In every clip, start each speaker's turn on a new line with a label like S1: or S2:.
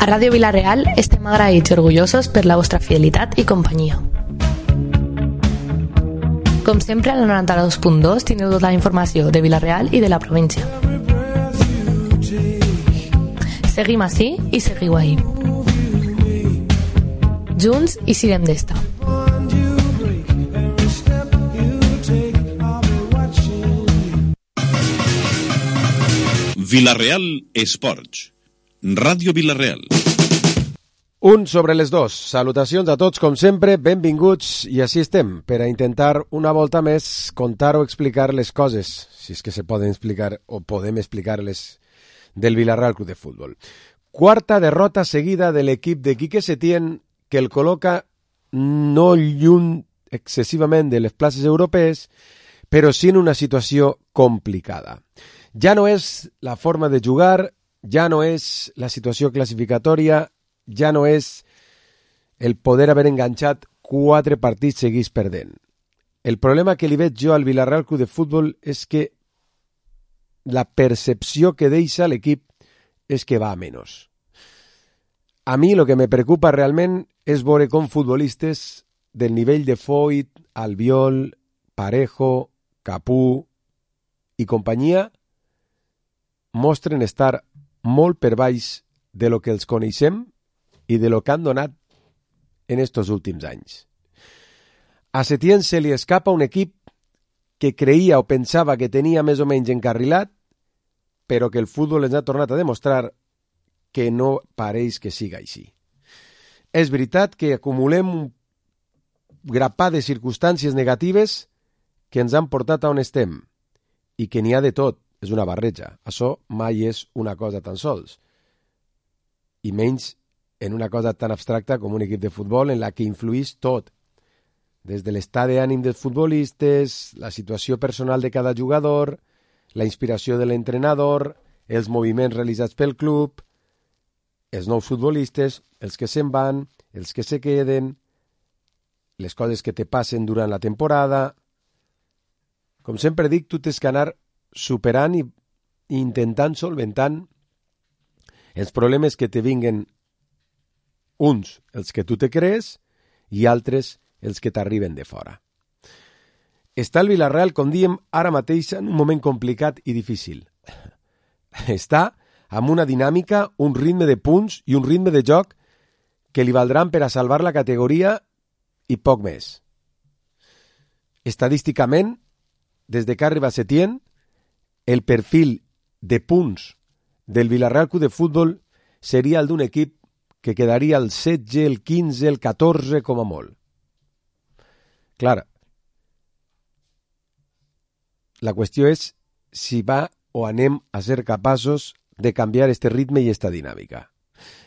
S1: A Ràdio Vila-real estem agraïts i orgullosos per la vostra fidelitat i companyia. Com sempre, a la 92.2 teniu tota la informació de Vila-real i de la província. Seguim ací i seguiu ahí. Junts i sirem d'esta.
S2: Vila-real Esports. Ràdio Vila-real.
S3: Un sobre les dos. Salutacions a tots, com sempre, benvinguts, i així estem, per a intentar una volta més contar o explicar les coses, si és que se poden explicar o podem explicar-les, del Vila-real Club de Futbol. Quarta derrota seguida de l'equip de Quique Setién, que el col·loca no lluny excessivament de les places europees, però sí en una situació complicada. Ja no és la forma de jugar, ja no és la situació classificatòria, ja no és el poder haver enganxat 4 partits seguits perdent. El problema que li veig jo al Vila-real Club de Futbol és que la percepció que deixa l'equip és que va a menos. A mi el que me preocupa realment és veure com futbolistes del nivell de Foyt, Albiol, Parejo, Capú i companyia mostren estar molt per baix de lo que els coneixem i de lo que han donat en estos últims anys. A Setién se li escapa un equip que creia o pensava que tenia més o menys encarrilat, però que el futbol ens ha tornat a demostrar que no pareix que siga així. És veritat que acumulem un grapat de circumstàncies negatives que ens han portat a on estem i que n'hi ha de tot. És una barreja. Això mai és una cosa tan sols. I menys en una cosa tan abstracta com un equip de futbol en la que influïs tot. Des de l'estat d'ànim dels futbolistes, la situació personal de cada jugador, la inspiració de l'entrenador, els moviments realitzats pel club, els nous futbolistes, els que se'n van, els que se queden, les coses que te passen durant la temporada. Com sempre dic, tu tens que anar superant i intentant solventant els problemes que te vinguen, uns els que tu te crees i altres els que t'arriben de fora. Està el Vila-real, com diem, ara mateix en un moment complicat i difícil. Està amb una dinàmica, un ritme de punts i un ritme de joc que li valdran per a salvar la categoria i poc més. Estadísticament, des de que arriba Setién, el perfil de punts del Vila-real Club de Futbol seria el d'un equip que quedaria el 16, el 15, el 14 com a molt. Clar, la qüestió és si va o anem a ser capaços de canviar este ritme i esta dinàmica.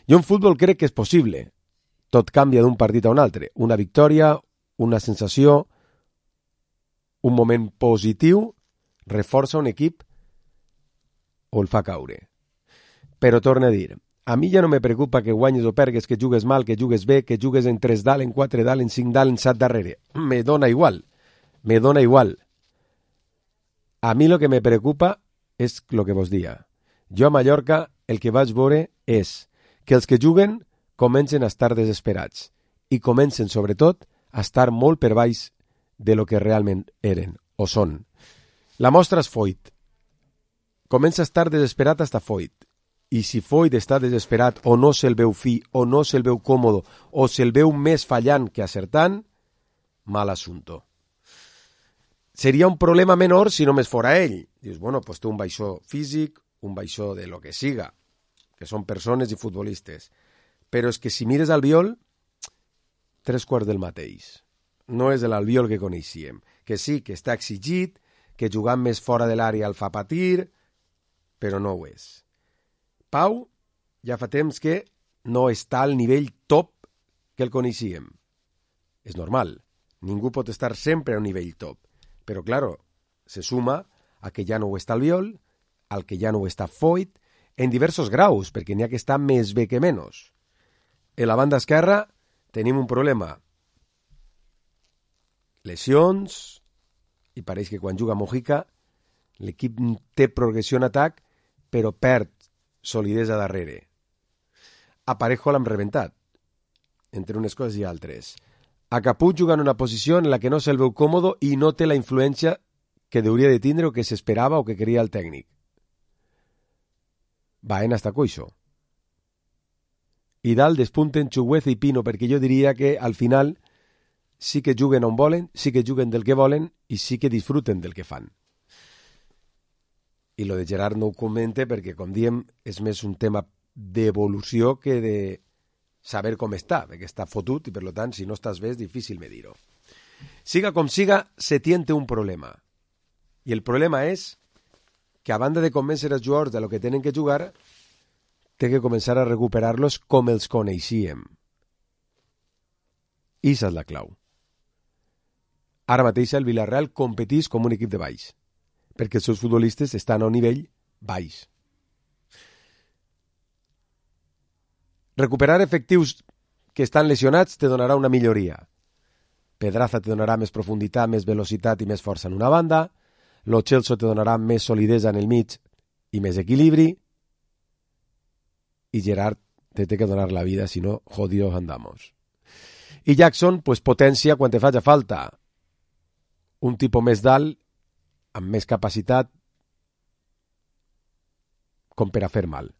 S3: Jo en futbol crec que és possible. Tot canvia d'un partit a un altre. Una victòria, una sensació, un moment positiu reforça un equip o el fa caure. Però torno a dir, a mi ja no me preocupa que guanyes o pergues, que jugues mal, que jugues bé, que jugues en 3 dalt, en 4 dalt, en 5 dalt, en 7 darrere. Me dona igual. A mi el que me preocupa és el que vos dia. Jo a Mallorca el que vaig veure és que els que juguen comencen a estar desesperats i comencen sobretot a estar molt per baix de lo que realment eren o són. La mostra és Foyt. Comença a estar desesperat hasta Foyt. I si Foyt està desesperat o no se'l veu fi, o no se'l veu còmode, o se'l veu més fallant que acertant, mal assunto. Seria un problema menor si només fora ell. Dius, bueno, pues té un baixó físic, un baixó de lo que siga, que són persones i futbolistes. Però és que si mires Albiol, 3/4 del mateix. No és l'Albiol que coneixíem. Que sí, que està exigit, que jugant més fora de l'àrea el fa patir, però no ho és. Pau ja fa temps que no està al nivell top que el coneixíem. És normal, ningú pot estar sempre a un nivell top, però claro, se suma a que ja no ho està Albiol, al que ja no ho està Foyt, en diversos graus, perquè n'hi ha que estar més bé que menys. En la banda esquerra tenim un problema. Lesions, i pareix que quan juga Mojica l'equip té progressió en atac, però perd solidesa darrere. aparejo l'hem rebentat, entre unes coses i altres. A Caput juga en una posició en la que no se'l veu còmodo i no té la influència que hauria de tindre o que s'esperava o que queria el tècnic. Baena està coixo. I dalt despunten Chugueza i Pino, perquè jo diria que al final sí que juguen on volen, sí que juguen del que volen i sí que disfruten del que fan. I lo de Gerard no ho comente perquè, com diem, és més un tema d'evolució que de saber com està, perquè està fotut i, per tant, si no estàs bé és difícil medir-ho. Siga com siga, se tiente un problema. I el problema és que, a banda de convèncer els jugadors de lo que tenen que jugar, té que començar a recuperar-los com els coneixíem. I esa és la clau. Ara mateix el Villarreal competís com un equip de baix, perquè els seus futbolistes estan a un nivell baix. Recuperar efectius que estan lesionats te donarà una milloria. Pedraza te donarà més profunditat, més velocitat i més força en una banda. Lo Celso te donarà més solidesa en el mig i més equilibri. I Gerard te té que donar la vida, si no, jodidos andamos. I Jackson, pues potència quan te faci falta. Un tipus més dalt, amb més capacitat, com per a fer mal.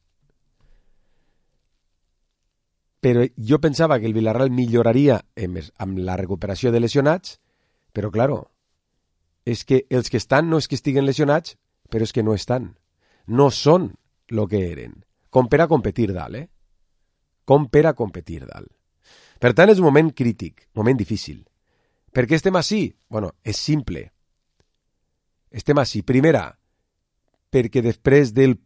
S3: Però jo pensava que el Villarreal milloraria amb la recuperació de lesionats, però, claro, és que els que estan no és que estiguen lesionats, però és que no estan. No són el que eren. Com per a competir dalt, Com per a competir dalt. Per tant, és un moment crític, moment difícil. Per què estem així? Bueno, és simple. Estem així, primera, perquè després del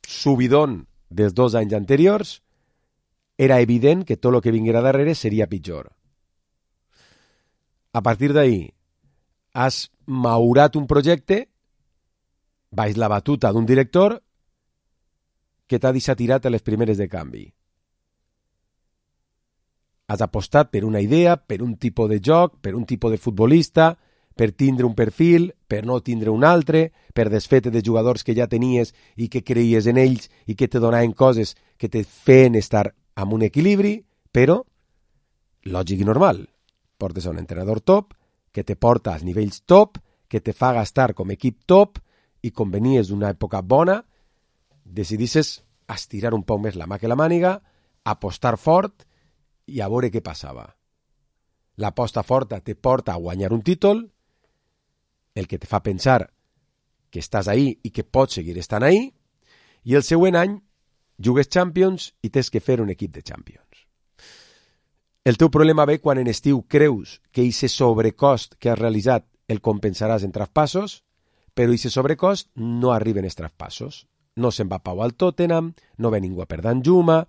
S3: subidón dels 2 anys anteriors, era evident que tot el que vinguera darrere seria pitjor. A partir d'ahí, has maurat un projecte, baix la batuta d'un director que t'ha deixat tirat a les primeres de canvi. Has apostat per una idea, per un tipus de joc, per un tipus de futbolista, per tindre un perfil, per no tindre un altre, per desfete de jugadors que ja tenies i que creies en ells i que te donaven coses que te feien estar amb un equilibri, però lògic i normal. Portes a un entrenador top, que te porta als nivells top, que te fa gastar com equip top, i com venies d'una època bona, decidisses estirar un poc més la mà que la màniga, apostar fort i a veure què passava. L'aposta forta te porta a guanyar un títol, el que te fa pensar que estàs ahí i que pots seguir estant ahí, i el següent any jugues Champions i tens que fer un equip de Champions. El teu problema ve quan en estiu creus que aquest sobrecost que has realitzat el compensaràs en traspassos, però aquest sobrecost no arriba en els traspassos. No se'n va Pau al Tottenham, no ve ningú a per Danjuma,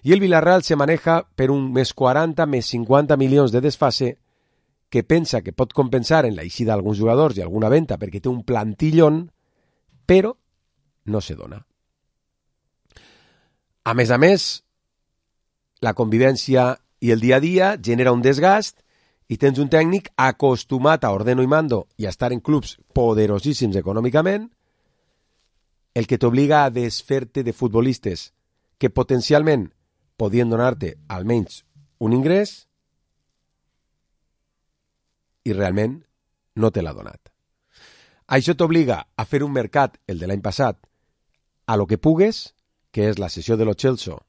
S3: i el Villarreal se maneja per un més 40, més 50 milions de desfase que pensa que pot compensar en la eixida d'alguns jugadors i alguna venda perquè té un plantillón, però no se dona. A més, la convivència i el dia a dia genera un desgast i tens un tècnic acostumat a ordeno i mando i a estar en clubs poderosíssims econòmicament, el que t'obliga a desfer-te de futbolistes que potencialment podien donar-te almenys un ingrés i realment no te l'ha donat. Això t'obliga a fer un mercat, el de l'any passat, a lo que pugues, que és la sessió de lo Celso,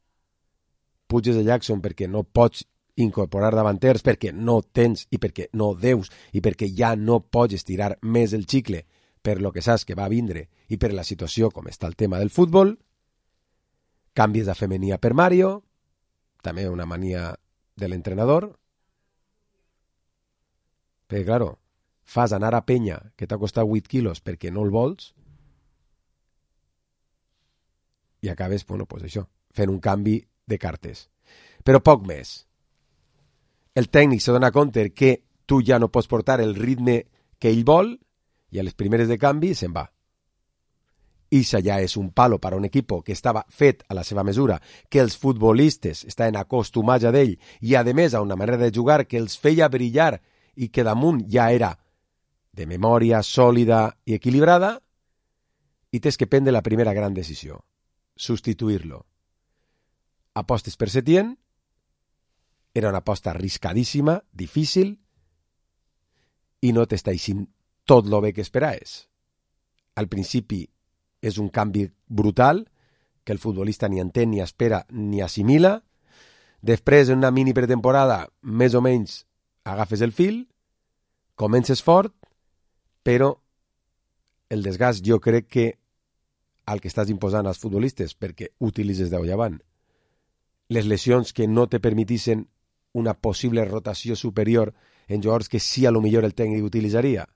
S3: puges de Jackson perquè no pots incorporar davanters, perquè no tens i perquè no deus i perquè ja no pots estirar més el xicle per lo que saps que va vindre i per la situació com està el tema del futbol, canvies de femenia per Mario, també una mania de l'entrenador, perquè, claro, fas anar a Penya, que t'ha costat 8 quilos perquè no el vols, i acabes, bueno, pues això, fent un canvi de cartes. Però poc més. El tècnic se dona compte que tu ja no pots portar el ritme que ell vol i a les primeres de canvi se'n va. Ixa ja és un palo per a un equip que estava fet a la seva mesura, que els futbolistes estaven acostumats a d'ell i, a més, a una manera de jugar que els feia brillar i que damunt ja era de memòria sòlida i equilibrada, i tens que prendre la primera gran decisió, substituir-lo. apostes per Setién, era una aposta arriscadíssima, difícil, i no t'està eixint tot lo bé que esperaves. Al principi és un canvi brutal, que el futbolista ni entén, ni espera, ni assimila. Després, en una mini pretemporada, més o menys agafes el fil, comences fort, però el desgast jo crec que el que estàs imposant als futbolistes, perquè utilitzes d'au avant, les lesions que no te permetissin una possible rotació superior en jugadors que sí a lo millor el tècnic utilitzaria,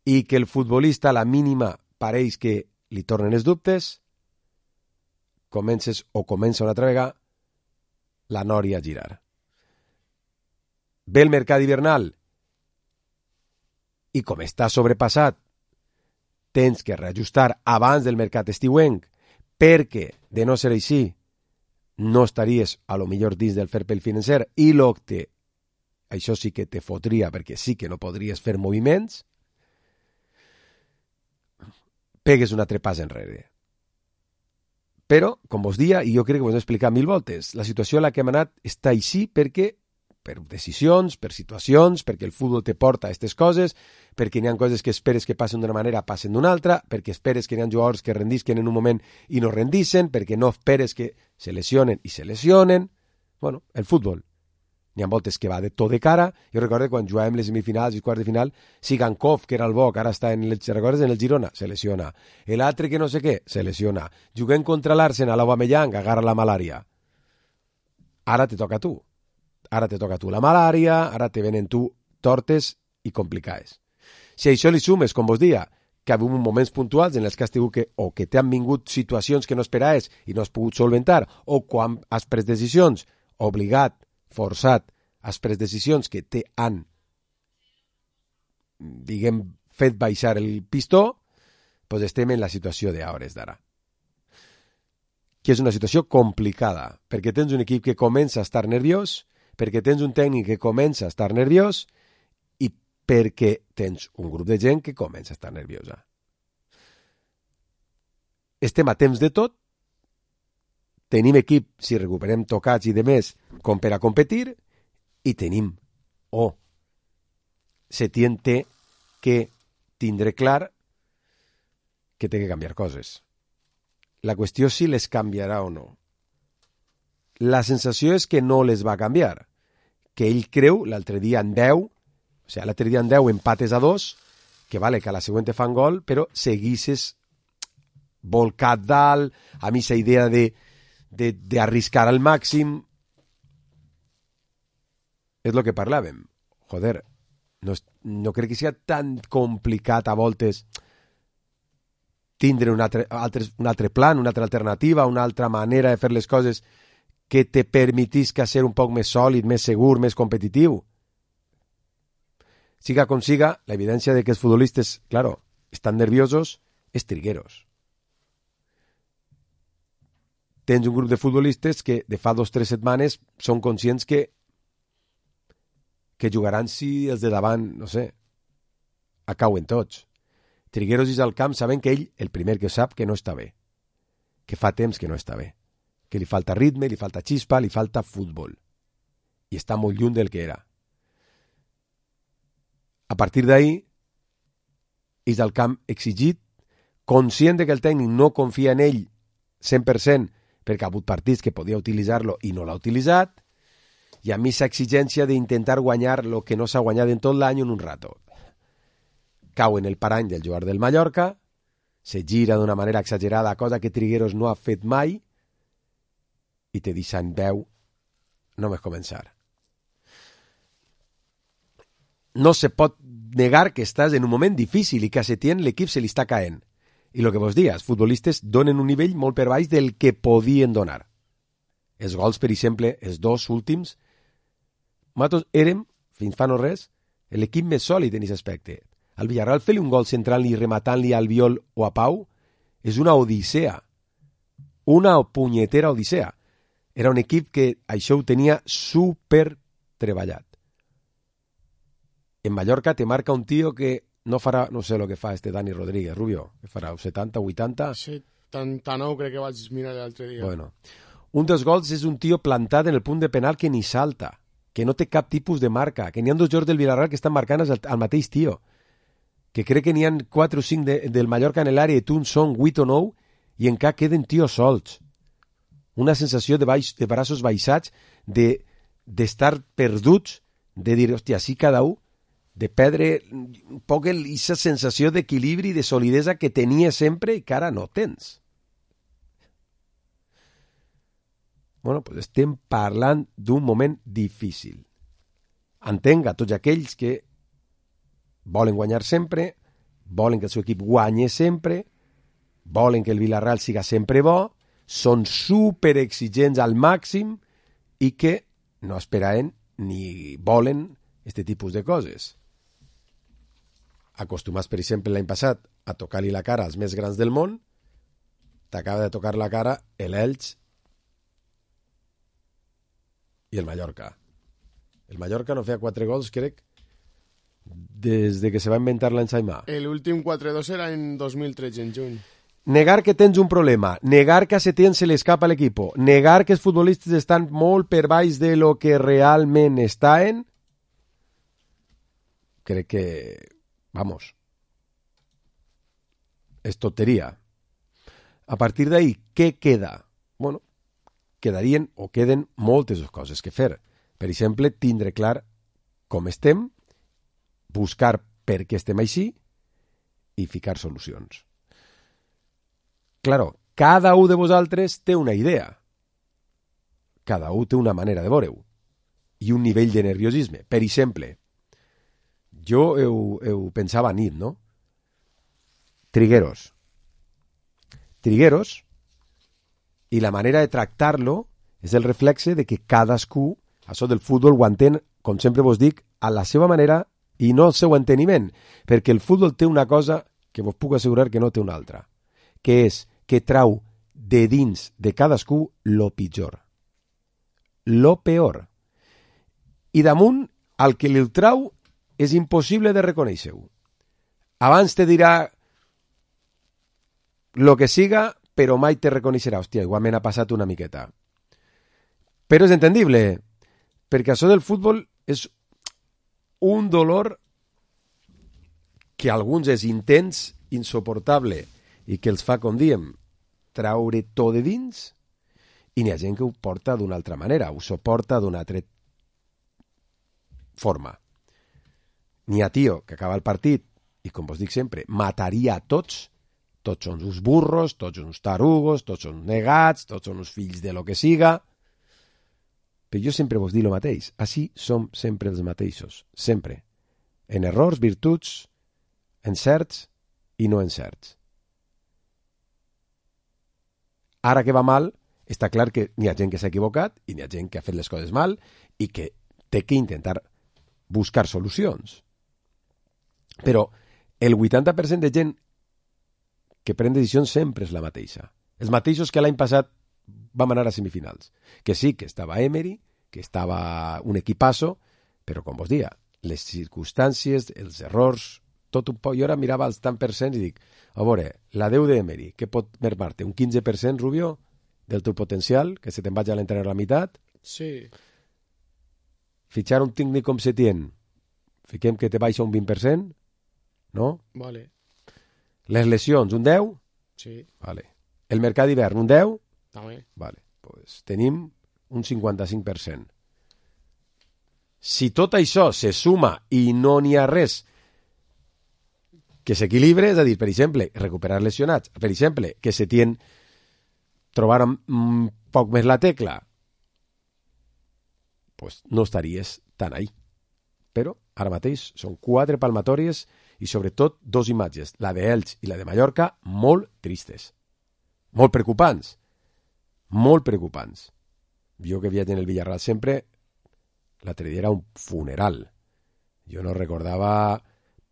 S3: i que el futbolista a la mínima pareix que li tornen els dubtes, comença una altra vegada la nòria a girar. Ve el mercat hivernal i com està sobrepassat tens que reajustar abans del mercat estiuenc, perquè de no ser així no estaries a lo millor dins del fair play financer i això sí que te fotria perquè sí que no podries fer moviments, pegues un altre pas enrere. Però, com vos dia, i jo crec que vos he explicat 1000 voltes, la situació a la que hem anat està així perquè, per decisions, per situacions, perquè el futbol te porta a aquestes coses, perquè n'hi ha coses que esperes que passen d'una manera, passen d'una altra, perquè esperes que n'hi ha jugadors que rendisquen en un moment i no rendisquen, perquè no esperes que se lesionen i se lesionen. Bueno, el futbol. N'hi ha voltes que va de tot de cara. Jo recordo quan jugàvem les semifinals i quarts de final, Sigankov, que era el bo, que ara està en el Girona, se lesiona. L'altre que no sé què, se lesiona. Juguem contra l'Arsenal, l'Aubameyang, agarra la malària. Ara te toca a tu. Ara te toca a tu la malària, ara te venen tu tortes i complicades. Si a això li sumes, com vos dia, que ha hagut moments puntuals en els que has tingut o que t'han vingut situacions que no esperaves i no has pogut solventar, o quan has pres decisions, obligat, forçat, has pres decisions que te han, diguem, fet baixar el pistó, doncs estem en la situació d'hores d'ara. Que és una situació complicada, perquè tens un equip que comença a estar nerviós, perquè tens un tècnic que comença a estar nerviós i perquè tens un grup de gent que comença a estar nerviosa. Estem a temps de tot, tenim equip, si recuperem tocats i demés, com per a competir, i tenim, Setién té que tindre clar que té que canviar coses. La qüestió és si les canviarà o no. La sensació és que no les va canviar, que ell creu l'altre dia en 10, l'altre dia en 10 empates a 2, que vale que a la següent te fan gol, però seguisses volcat dalt, a mi aquesta idea d'arriscar al màxim, és el que parlàvem. Joder, no crec que sigui tan complicat a voltes tindre un altre plan, una altra alternativa, una altra manera de fer les coses que te permetisca ser un poc més sòlid, més segur, més competitiu. Siga com siga, la evidència de que els futbolistes, claro, estan nerviosos és trigueros. Tens un grup de futbolistes que de fa 2 o 3 setmanes són conscients que jugaran si els de davant, no sé, acauen tots. Trigueros dins al camp saben que ell, el primer que sap, que no està bé. Que fa temps que no està bé. Que li falta ritme, li falta xispa, li falta futbol. I està molt lluny del que era. A partir d'ahí, és al camp exigit, conscient de que el tècnic no confia en ell 100%, perquè ha hagut partits que podia utilitzar-lo i no l'ha utilitzat, i a mi l'exigència d'intentar guanyar el que no s'ha guanyat en tot l'any en un rato. Cau en el parany del jugador del Mallorca, se gira d'una manera exagerada, cosa que Trigueros no ha fet mai, i te deixa en 10 només començar. No se pot negar que estàs en un moment difícil i que a Setién l'equip se li està caent. I el que vos dia, els futbolistes donen un nivell molt per baix del que podien donar. Els gols, per exemple, els 2 últims, nosaltres érem, fins fa no res, l'equip més sòlid en aquest aspecte. Al Villarreal fer-li un gol centrant-li i rematant-li al Viol o a Pau és una odissea. Una punyetera odissea. Era un equip que això ho tenia super treballat. En Mallorca te marca un tio que no farà, no sé el que fa Dani Rodríguez, Rubio, que farà 70, 80...
S4: 79 crec que vaig mirar l'altre dia.
S3: Bueno, Un dels gols és un tio plantat en el punt de penal que ni salta, que no té cap tipus de marca, que n'hi ha 2 jugadors del Villarreal que estan marcant al mateix tio, que crec que n'hi ha 4 o 5 del Mallorca en l'àrea i tu en són 8 o 9 i encara queden tios solts. Una sensació de braços baixats, d'estar perduts, de dir, hòstia, sí cada un, de perdre un poc aquesta sensació d'equilibri i de solidesa que tenia sempre i que ara no tens. Bueno, pues estem parlant d'un moment difícil. Entenc a tots aquells que volen guanyar sempre, volen que el seu equip guanyi sempre, volen que el Villarreal siga sempre bo, són superexigents al màxim i que no esperaven ni volen aquest tipus de coses. Acostumats, per exemple, l'any passat a tocar-li la cara als més grans del món, t'acaba de tocar la cara l'Elx i el Mallorca. El Mallorca no feia 4 gols, crec, des de que se va inventar l'ensaïmà.
S4: L'últim 4-2 era en 2013, en juny.
S3: Negar que tens un problema, negar que a Setién se li escapa l'equip, negar que els futbolistes estan molt per baix de lo que realment estan, crec que, vamos, és tonteria. A partir d'ahí, què queda? Bueno, quedarien o queden moltes coses que fer. Per exemple, tindre clar com estem, buscar per què estem així i ficar solucions. Claro, cada un de vosaltres té una idea. Cada un té una manera de veure-ho i un nivell de nerviosisme. Per exemple, jo ho pensava a nit, no? Trigueros, i la manera de tractar-lo és el reflexe de que cadascú, això del futbol ho entén, com sempre vos dic, a la seva manera i no al seu enteniment, perquè el futbol té una cosa que vos puc assegurar que no té una altra, que és que trau de dins de cadascú lo pitjor, lo peor. I damunt, el que li trau és impossible de reconèixer-ho. Abans te dirà lo que siga, però mai te reconeixerà. Hòstia, igualment ha passat una miqueta. Però és entendible, perquè això del futbol és un dolor que a alguns és intens, insoportable, i que els fa, com diem, traure tot de dins, i n'hi ha gent que ho porta d'una altra manera, ho suporta d'una altra forma. N'hi ha tio que acaba el partit i, com vos dic sempre, mataria a tots són uns burros, tots són uns tarugos, tots són negats, tots són uns fills de lo que siga. Però jo sempre vos dic el mateix, així som sempre els mateixos, sempre. En errors, virtuts, encerts i no encerts. Ara que va mal, està clar que n'hi ha gent que s'ha equivocat i n'hi ha gent que ha fet les coses mal i que té que intentar buscar solucions. Però el 80% de gent que pren decisions sempre és la mateixa. Els mateixos que l'any passat vam anar a semifinals. Que sí, que estava Emery, que estava un equipasso, però com vos dia, les circumstàncies, els errors, tot un poc. Jo ara mirava els tant percents i dic, a veure, la 10 d'Emery, què pot mermar-te? Un 15%, Rubio, del teu potencial, que se te'n vaig a l'entrenar a la meitat?
S4: Sí.
S3: Fitxar un tècnic com Setién, fiquem que te baixa un 20%, no?
S4: Vale.
S3: Les lesions, un 10?
S4: Sí.
S3: Vale. El mercat d'hivern, un 10?
S4: També.
S3: Vale. Pues tenim un 55%. Si tot això se suma i no n'hi ha res que s'equilibre, és a dir, per exemple, recuperar lesionats, per exemple, que Setién trobar un poc més la tecla, pues no estaries tan ahí. Però ara mateix són 4 palmatòries i sobretot 2 imatges, la d'Elx i la de Mallorca, molt tristes, molt preocupants, molt preocupants. Jo que viatge en el Villarreal sempre, l'altre dia era un funeral. Jo no recordava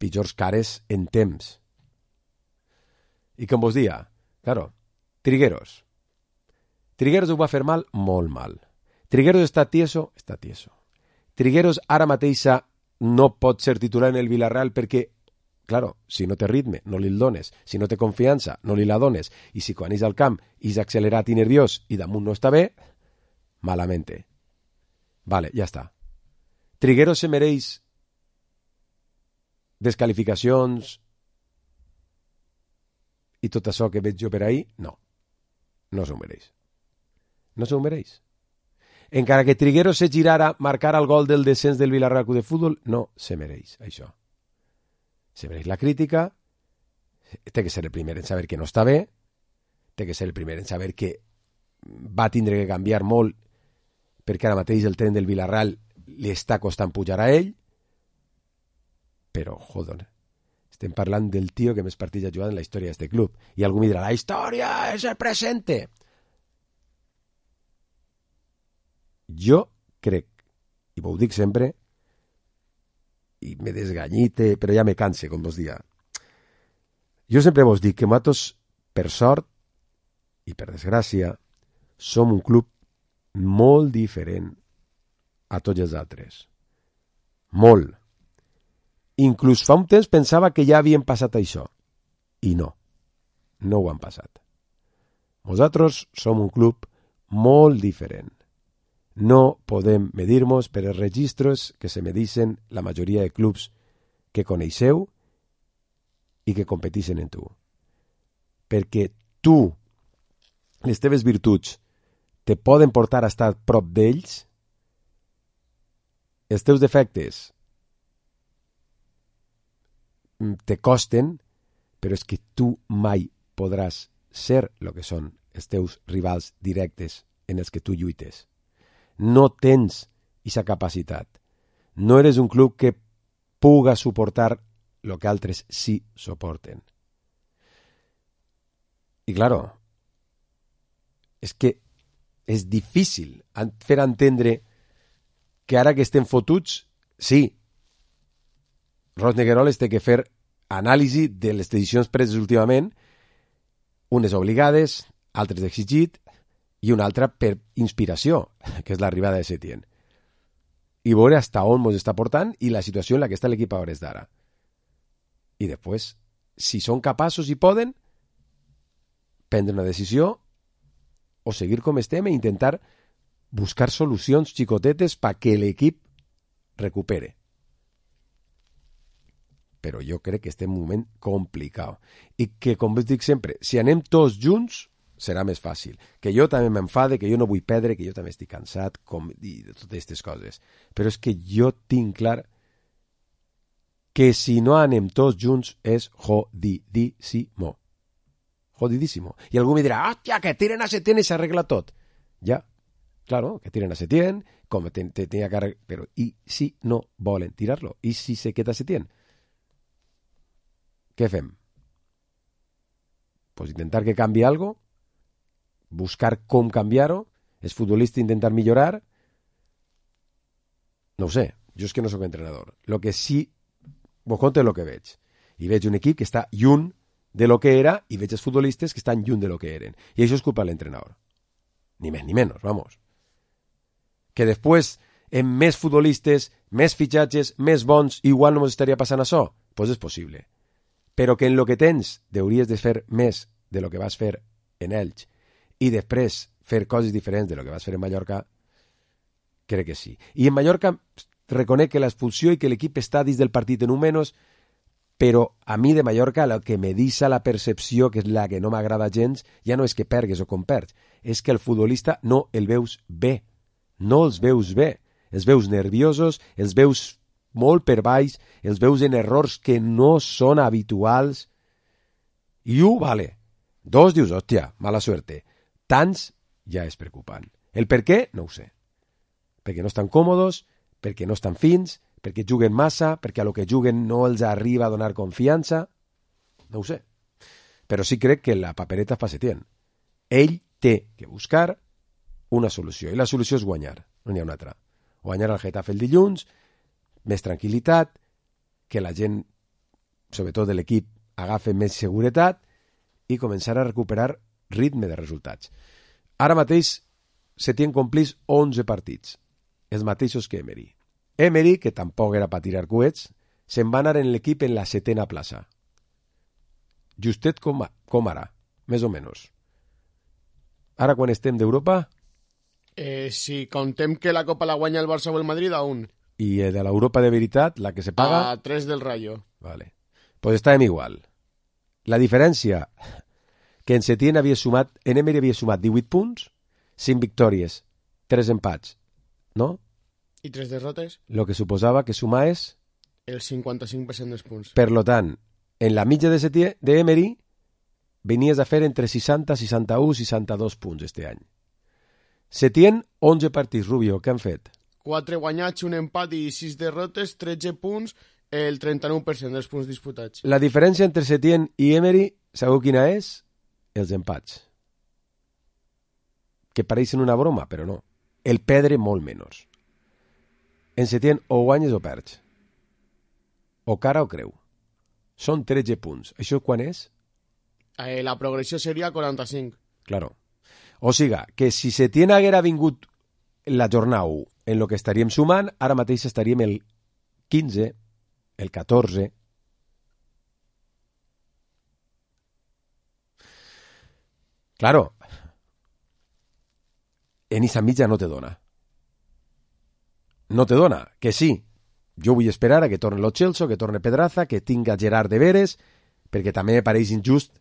S3: pitjors cares en temps. I com vos dia, claro, Trigueros. Trigueros ho va fer mal, molt mal. Trigueros està tieso, està tieso. Trigueros ara mateixa no pot ser titular en el Villarreal perquè, claro, si no té ritme, no li el dones. Si no té confiança, no li la dones. I si quan és al camp és accelerat i nerviós i damunt no està bé, malamente. Vale, ja està. Trigueros se mereix descalificacions i tot això que veig jo per ahí? No. No s'ho mereix. No s'ho mereix. Encara que Trigueros se girara, marcara el gol del descens del Villarreal Club de Futbol, no se mereix això. Se mereix la crítica, té que ser el primer en saber que no està bé, té que ser el primer en saber que va tindre que canviar molt perquè ara mateix el tren del Villarreal li està costant pujar a ell, però, joder, estem parlant del tio que més partits ha jugat en la història d'aquest club. I algú me dirà, la història és el presente. Jo crec, i ho dic sempre, i me desganyite, però ja me canse, com vos dia. Jo sempre vos dic que nosaltres, per sort i per desgràcia, som un club molt diferent a tots els altres. Molt. Inclús fa un temps pensava que ja havien passat això. I no. No ho han passat. Nosaltres som un club molt diferent. No podem medir-nos per els registres que se medixen la majoria de clubs que coneixeu i que competeixen en tu. Perquè tu, les teves virtuts, te poden portar a estar prop d'ells, els teus defectes te costen, però és que tu mai podràs ser el que són els teus rivals directes en els que tu lluites. No tens aquesta capacitat. No eres un club que puga suportar el que altres sí soporten. I claro, és que és difícil fer entendre que ara que estem fotuts, sí, Ros Negueroles té que fer anàlisi de les decisions preses últimament, unes obligades, altres d'exigit, i una altra per inspiració, que és l'arribada de Setién. I veure fins on ens està portant i la situació en la que està l'equip a hores d'ara. I després, si són capaços i poden, prendre una decisió o seguir com estem e intentar buscar solucions xicotetes perquè l'equip recupere. Però jo crec que estem en un moment complicat. I que, com us dic sempre, si anem tots junts, serà més fàcil. Que jo també m'enfade, que jo no vull perdre, que jo també estic cansat, i de totes aquestes coses. Però és que jo tinc clar que si no anem tots junts és jodidísimo. Jodidísimo. I algú me dirà, hòstia, que tiren a Setién i s'arregla tot. Ja, claro, que tiren a Setién, com tenia que... Però i si no volen tirar-lo? I si se queda Setién? Què fem? Pues intentar que canvi algo, buscar com canviar-ho, els futbolistes intentar millorar. No ho sé, jo és que no sóc entrenador. Lo que sí, vos conto lo que veig. I veig un equip que està lluny de lo que era i veig els futbolistes que estan lluny de lo que eren. I això és culpa de l'entrenador. Ni més ni menys, vamos. Que després, amb més futbolistes, més fitxatges, més bons, igual no ens estaria passant això? Pues és possible. Però que en lo que tens hauries de fer més de lo que vas fer en Elx i després fer coses diferents de lo que vas fer en Mallorca, crec que sí. I en Mallorca reconec que l'expulsió i que l'equip està dins del partit en un menys, però a mi de Mallorca el que me deixa la percepció, que és la que no m'agrada gens, ja no és que pergues o com perds, és que el futbolista no el veus bé. No els veus bé. Els veus nerviosos, els veus molt per baix, els veus en errors que no són habituals. I vale. Dos dius, hòstia, mala suerte. Tants ja és preocupant. El per què? No ho sé. Perquè no estan còmodes, perquè no estan fins, perquè juguen massa, perquè a lo que juguen no els arriba a donar confiança. No ho sé. Però sí crec que la papereta fa Setién. Ell té que buscar una solució. I la solució és guanyar. No n'hi ha una altra. Guanyar al Getafe el dilluns, més tranquil·litat, que la gent, sobretot de l'equip, agafi més seguretat i començar a recuperar ritme de resultats. Ara mateix Setién complís 11 partits, els mateixos que Emery. Emery, que tampoc era per tirar coets, se'n va anar en l'equip en la 7a plaça. Justet com ara, més o menys. Ara quan estem d'Europa...
S4: Si contem que la Copa la guanya el Barça o el Madrid, a 1.
S3: I de l'Europa de veritat, la que se paga...
S4: A 3 del Rayo.
S3: Vale. Pues estàvem igual. La diferència que en Setién havia sumat, en Emery havia sumat 18 punts, 5 victòries, 3 empats, no?
S4: I 3 derrotes?
S3: Lo que suposava que sumaes...
S4: El 55% dels punts.
S3: Per lo tant, en la mitja de Setién, de Emery, venies a fer entre 60, 61, 62 punts este any. Setién, 11 partits, Rubio, què han fet?
S4: 4 guanyats, un empat i 6 derrotes, 13 punts, el 39% dels punts disputats.
S3: La diferència entre Setién i Emery, sabeu quina és? Els empats. Que pareixen una broma, però no. El perdre molt menys. En Setién o guanyes o perds. O cara o creu. Són 13 punts. Això quan és?
S4: La progressió seria 45.
S3: Claro. O siga, que si Setién haguera vingut la jornada 1 en lo que estaríem sumant, ara mateix estaríem el 15, el 14. Claro. En esa mitja no te dona. No te dona. Que sí. Jo vull esperar a que torni Lo Celso, que torni Pedraza, que tinga Gerard de Veres, perquè també me pareix injust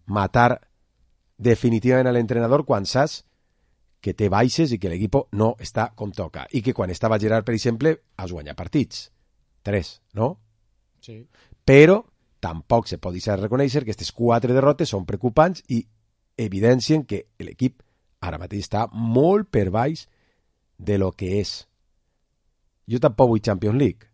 S3: matar definitivament a l'entrenador quan saps que té baixes i que l'equip no està com toca. I que quan estava Gerard, per exemple, has guanyat partits. 3, no?
S4: Sí.
S3: Però tampoc se pot deixar reconèixer que aquestes 4 derrotes són preocupants i evidencien que l'equip ara mateix està molt per baix de lo que és. Jo tampoc vull Champions League.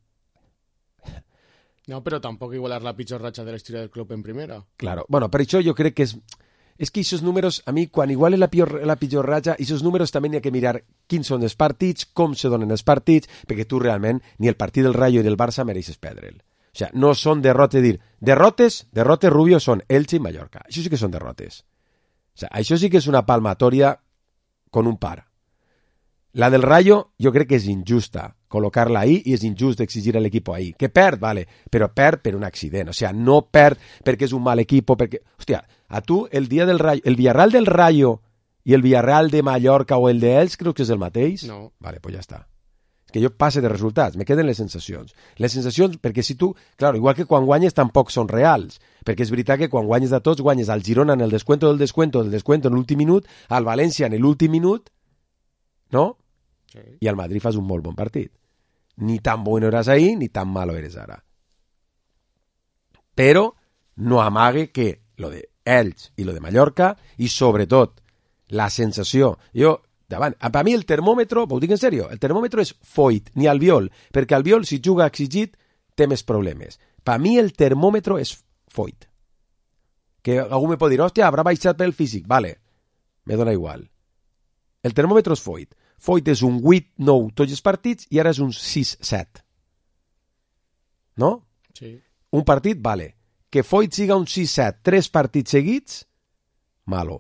S4: No, però tampoc igualar la pitjor ratxa de la història del club en primera.
S3: Claro. Bueno, per això jo crec que és que aquests números, a mi, quan igual és la pitjor ratxa, aquests números també n'hi ha que mirar quins són els partits, com se donen els partits, perquè tu realment ni el partit del Rayo i del Barça mereixes perdre'l. O sea, no són derrotes, derrotes Rubio són Elche i Mallorca. Això sí que són derrotes. O sea, això sí que és una palmatòria con un par. La del Rayo jo crec que és injusta col·locar-la ahí i és injust exigir a l'equip ahí. Que perd, vale, però perd per un accident. O sea, no perd perquè és un mal equip, perquè... Hòstia, a tu el dia del Rayo, el Villarreal del Rayo i el Villarreal de Mallorca o el de Elx crec que és el mateix?
S4: No.
S3: Vale, pues ja està. És que jo passe de resultats, me queden les sensacions. Les sensacions, perquè si tu... Claro, igual que quan guanyes tampoc són reals, perquè és veritat que quan guanyes de tots, guanyes al Girona en el descuento en l'últim minut, al València en l'últim minut, no?
S4: Sí.
S3: I al Madrid fas un molt bon partit. Ni tan bueno eres ahir, ni tan malo eres ara. Però no amague que lo de Elx i lo de Mallorca, i sobretot la sensació... Jo, davant, per mi el termòmetre, ho dic en sèrio, el termòmetre és Foyt, ni Albiol, perquè Albiol, si juga exigit, té més problemes. Per mi el termòmetre és Foyt. Que algú me pot dir, hòstia, haurà baixat pel físic. Vale, me dona igual. El termòmetre és Foyt. Foyt és un 8-9 tots els partits i ara és un 6-7. No?
S4: Sí.
S3: Un partit, vale. Que Foyt siga un 6-7, 3 partits seguits, malo.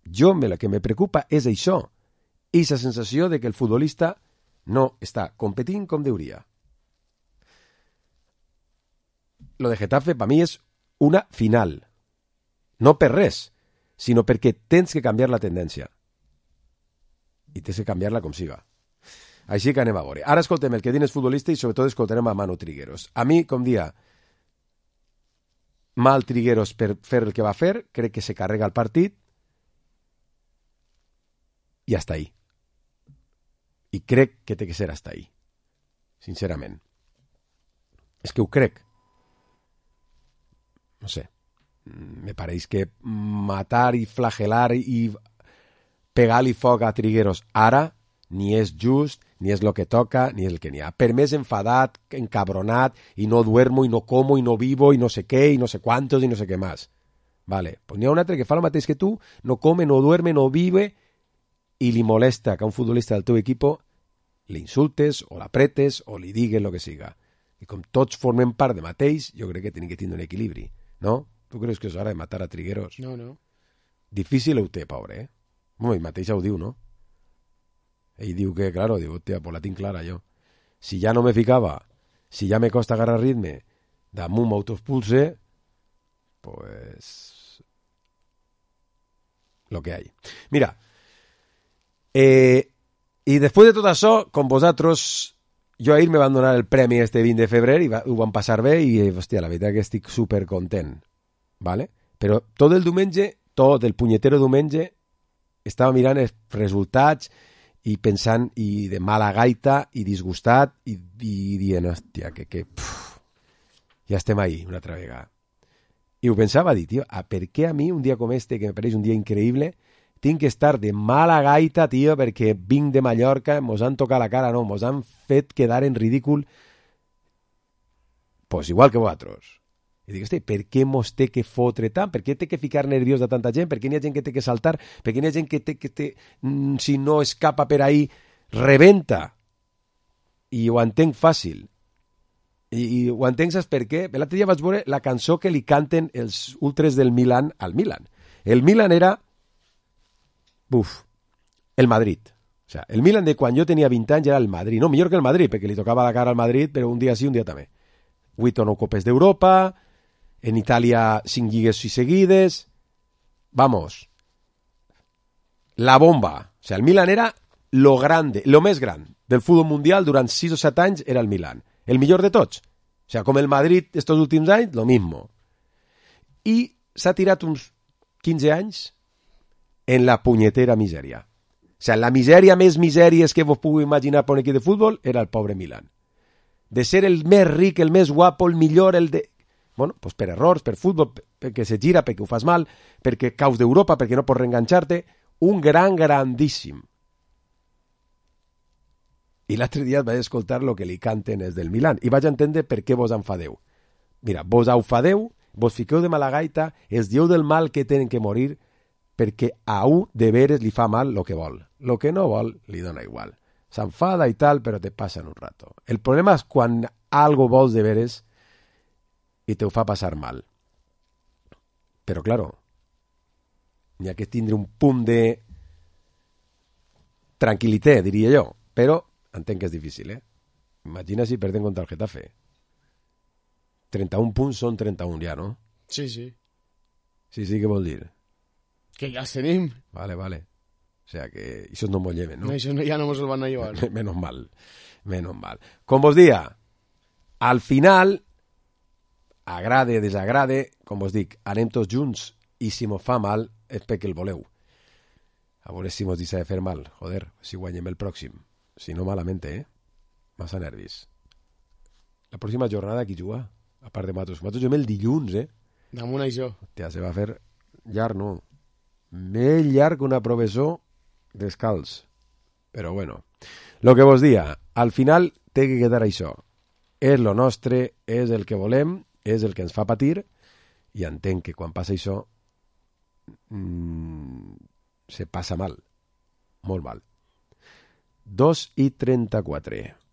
S3: Jo, el que me preocupa és això. Eixa sensació de que el futbolista no està competint com deuria. Lo de Getafe, per mi, és una final. No per res, sinó perquè tens que canviar la tendència. I tens que canviar-la com siga. Així que anem a veure. Ara escoltem el que diuen els futbolistes i sobretot escoltarem a Manu Trigueros. A mi, com dia, mal Trigueros per fer el que va fer, crec que se carrega el partit i hasta ahí. I crec que té que ser hasta ahí. Sincerament. És que ho crec. No sé. Me pareix que matar i flagelar i pegar-li foc a Trigueros ara ni és just, ni és el que toca, ni és el que n'hi ha. Per més enfadat, encabronat, i no duermo, i no como, i no vivo, i no sé què, i no sé quantos, i no sé què més. Vale, pues n'hi ha un altre que fa el mateix que tu, no come, no duerme, no vive, i li molesta que a un futbolista del teu equip li insultes, o l'apretes, o li digues el que siga. I com tots formem part de mateix, jo crec que tenim que tindre un equilibri, no? Tu creus que és hora de matar a Trigueros?
S4: No, no.
S3: Difícil ho té, pobre, eh? Bueno, ell mateix ho diu, no? Ell diu que, claro, diu, hòstia, pues la tinc clara jo. Si ja no me ficava, si ja me costa agarrar ritme, damunt m'autoexpulse, pues... lo que hay. Mira, i després de tot això, com vosaltres, jo ahir me van donar el premi este 20 de febrer i ho van passar bé i, hòstia, la veritat que estic supercontent, ¿vale? Però tot el diumenge, tot el punyetero diumenge, estava mirant els resultats i pensant, i de mala gaita, i disgustat, i dient, hòstia, ja estem ahí una altra vegada. I ho pensava, dir, tio, per què a mi un dia com este, que me pareix un dia increïble, tinc que estar de mala gaita, tio, perquè vinc de Mallorca, mos han tocat la cara, no, mos han fet quedar en ridícul, pues igual que vosaltres. I dic, hosti, per què mos té que fotre tant? Per què té que ficar nerviós de tanta gent? Per què n'hi ha gent que té que saltar? Per què n'hi ha gent que té, si no escapa per ahí, rebenta? I ho entenc fàcil. I ho entenc, saps per què? L'altre dia vaig veure la cançó que li canten els ultres del Milan al Milan. El Milan era el Madrid. O sea, el Milan de quan jo tenia 20 anys era el Madrid. No, millor que el Madrid, perquè li tocava la cara al Madrid, però un dia sí, un dia també. 8 o 9 copes d'Europa, en Itàlia 5 lligues seguides. Vamos. La bomba. O sea, el Milan era lo grande, lo més gran del futbol mundial durant 6 o 7 anys era el Milan. El millor de tots. O sea, com el Madrid estos últims anys, lo mismo. I s'ha tirat uns 15 anys en la punyetera misèria. O sea, la misèria més misèries que vos pugueu imaginar per un equip de futbol era el pobre Milan. De ser el més ric, el més guapo, el millor, el de... Bueno, pues per errors, per futbol, perquè se gira, perquè ho fas mal, perquè caus d'Europa, perquè no pots reenganxar-te, un grandíssim. I l'altre dia vaig escoltar el que li canten els del Milan i vaig entendre per què vos enfadeu. Mira, vos enfadeu, vos fiqueu de mala gaita, els dieu del mal que tenen que morir perquè a un de veres li fa mal lo que vol. Lo que no vol li dona igual. S'enfada i tal, però te passa en un rato. El problema és quan algo vols de veres i te ho fa passar mal. Però, claro, n'hi ha que tindre un punt de tranquil·litat, diria jo. Però entenc que és difícil, eh? Imagina si perdem contra el Getafe. 31 punts són 31 ja, no?
S4: Sí, sí.
S3: Sí, què vol dir?
S4: Que ja els tenim.
S3: Vale. O sea que això no mos lleven, no?
S4: No, això ja no mos el van a llevar.
S3: Menos mal. Com vos dia, al final, agrade, desagrade, com vos dic, anem tots junts i si mos fa mal és perquè el voleu. A veure si mos deixa de fer mal. Joder, si guanyem el pròxim. Si no, malament, Massa nervis. La pròxima jornada qui juga? A part de Matos. Matos juguem el dilluns,
S4: Damunt això.
S3: Hòstia, se va fer llarg, no? Més llarg que una professor descalç. Però bueno, lo que vos dia, al final té que quedar això. És lo nostre, és el que volem, és el que ens fa patir, i entenc que quan passa això se passa mal. Molt mal. 2:34.